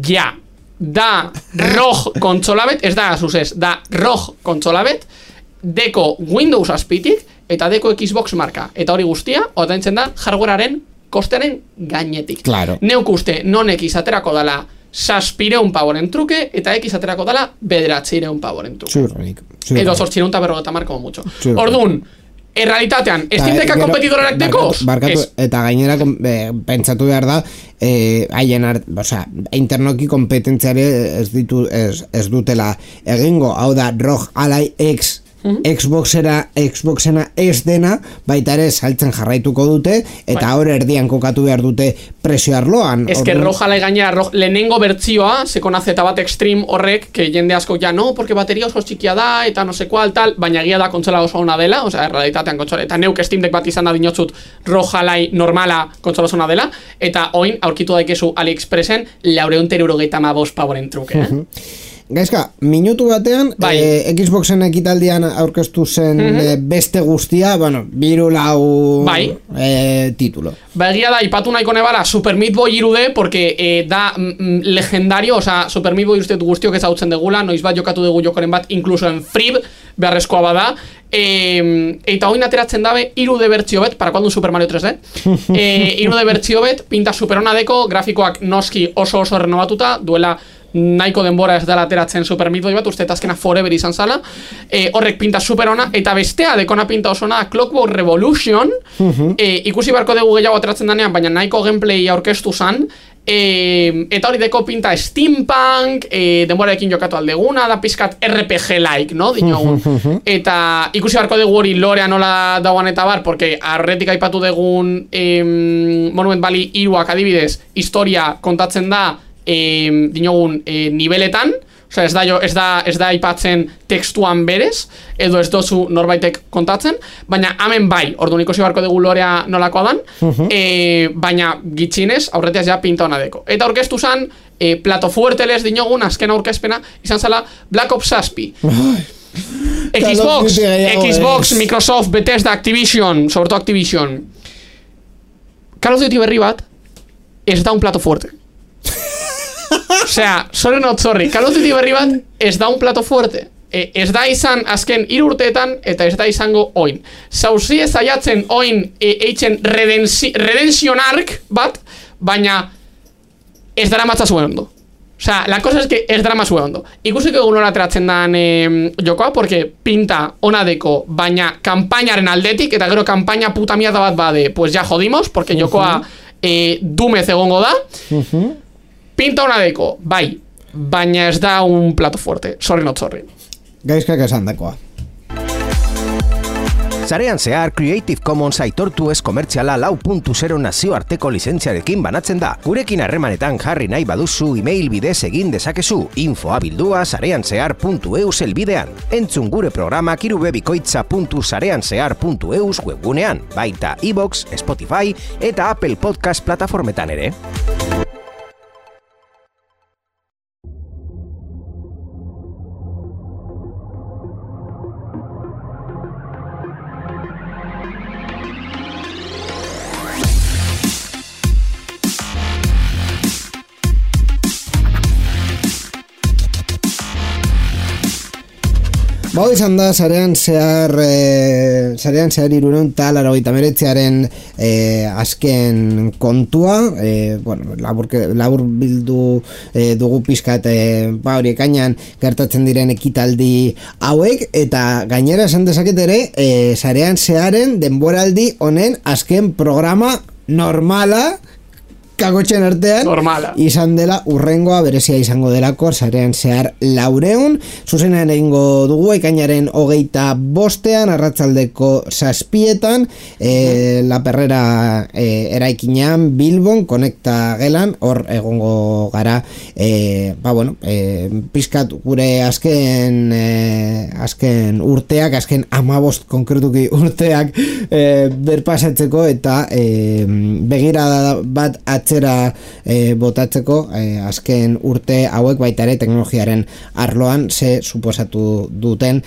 Ja, da ROG kontsolabet, ez da Asus, da ROG kontsolabet, deko Windows azpitik, eta deko Xbox marka. Eta hori guztia, otaintzen da, hardwarearen kostearen gainetik. Claro. Neuk uste, non-X aterako dala 600 pavoren truke, eta X aterako dala 900 pavoren truke. Edo 850 como mucho. Orduan, errealitatean, Steam Deckak kompetidorenak dekoz? Barkatu, eta gainera pentsatu behar da, internoki kompetentziare ez dutela egingo, hau da ROG Ally X Xboxena ez dena, baita ere saltzen jarraituko dute, eta hor erdian kokatu behar dute presio arloan. Ez que ROG Ally gainera, lehenengo bertzioa, sekona Z bat Extreme horrek, que jende asko ja no, porque bateria oso txikia da, eta no sé cual, tal, baina egia da kontsola oso ona dela, osea, realitatean kontsola, eta neuk Steam Deck bat izan da dinotzut ROG Ally normala kontsola oso ona dela, eta oin aurkitu daikezu AliExpressen 475 pavoren truke, Gaizka, minutu batean, Xboxen ekitaldian aurkeztu zen beste guztia, biru lau titulo. Egia da, ipatu nahiko nebala Super Meat Boy 3D, porque da legendario, oza, Super Meat Boy guztiok ezautzen degula, noiz bat jokatu dugu jokoren bat, incluso en Frib, beharrezkoa bada, eta oin ateratzen dabe 3D bertzio bet, para cuando un Super Mario 3D, 3D bertzio bet, pinta superona deko, grafikoak noski oso renovatuta, duela nahiko denbora ez dela ateratzen Super Meat Boy bat, uste eta azkena forever izan zala, horrek pinta superona, eta bestea dekona pinta osona Clockwork Revolution, ikusi barko dugu gehiago ateratzen danean, baina nahiko gameplay aurkeztu zan, eta hori deko pinta steampunk, denborarekin jokatu aldeguna, da pizkat RPG-like, no? Dinogun. Eta ikusi barko dugu hori lorea nola dauan eta bar, porque arretik aipatu dugun Monument Valley 3ak adibidez, historia kontatzen da dinogun niveletan, osea ez da aipatzen tekstuan berez, edo ez dozu norbaitek kontatzen, baina hemen bai, orduan ikusi barko dugu lorea nolakoa dan, baina gitxinez, aurretiaz ja pinta hona deko. Eta orkestu zan, plato fuerte les dinogun azken aurkezpena izan zala Black Ops 7. Xbox, Microsoft, Bethesda, Activision, sobre todo Activision. Call of Duty berri bat ez da un plato fuerte. Osea, sorry not sorry, Call of Duty berri bat ez da un plato fuerte. Ez da izan azken 3 urteetan eta ez da izango oin. Zauzi ez aiatzen oin eitzen redemption arc bat, baina ez dara matza zuen ondo. Osea, la cosa es que ez dara matza zuen ondo. Ikusiko egun hori ateratzen dan jokoa, porque pinta ona deko, baina kampainaren aldetik, eta gero kampaina puta mierda bat bade, pues ya jodimos, porque jokoa dumez egongo da. Pinta ona deko, bai, baina ez da un plato fuerte. Sorry not sorry. Gaizkak esan dakoa. Sarean zehar Creative Commons aitortu ez komertziala 4.0 nazioarteko lizentziarekin banatzen da. Gurekin harremanetan jarri nahi baduzu email bidez egin dezakezu info@sareanzehar.eus elbidean. Entzun gure programak irubebikoitza.sareanzehar.eus webgunean, baita iVoox, Spotify eta Apple Podcast plataformetan ere. Bau izan da, sarean zehar 389aren azken kontua, labur bildu dugu pizkat hori ekainan gertatzen diren ekitaldi hauek, eta gainera esan dezaket ere, sarean zeharen denboraldi honen azken programa normala, kagotxen artean normala izan dela, urrengoa berezia izango delako sarean zehar 400, zuzenean egingo dugu ekainaren 25ean arratsaldeko 7etan La Perrera eraikinean Bilbon konekta gelan, hor egongo gara pizkat gure azken urteak, azken 15 konkretuki urteak berpasatzeko eta begirada bat atzera botatzeko azken urte hauek baita ere teknologiaren arloan ze suposatu duten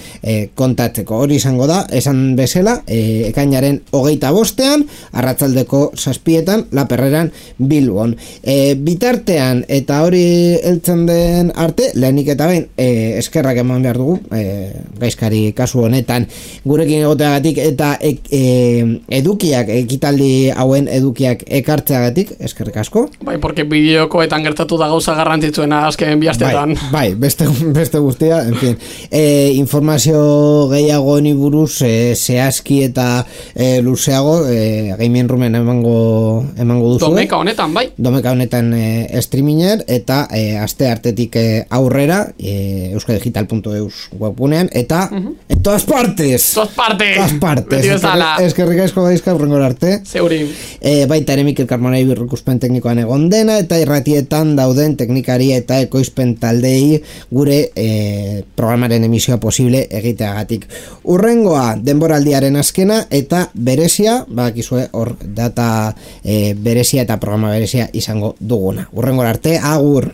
kontatzeko. Hori izango da, esan bezala, ekainaren 25ean arratsaldeko 7etan La Perreran Bilbon. Bitartean eta hori heltzen den arte, lehenik eta behin eskerrak eman behar dugu gaizkari kasu honetan gurekin egoteagatik eta edukiak, ekitaldi hauen edukiak ekartzeagatik, eskerrik asko. Bai, porque bideokoetan gertatu da gauza garrantzitsuena azken biastetan. Bai, beste guztia, en fin. Informazio gehiago honi buruz zehazki eta luzeago Gaming Roomen emango duzu. Domeka honetan streaminger eta aste artetik aurrera euskadigital.eus webgunean eta en todas partes. Eskerrik asko gaizka urrengora arte. Zeuri. Baita ere Mikel Carmonei birrikuspen teknikoan egon dena eta irratietan dauden teknikari eta ekoizpen taldei gure programaren emisioa posible egiteagatik. Urrengoa denboraldiaren azkena eta berezia, bakizue hor data berezia eta programa berezia izango duguna. Urrengora arte, agur!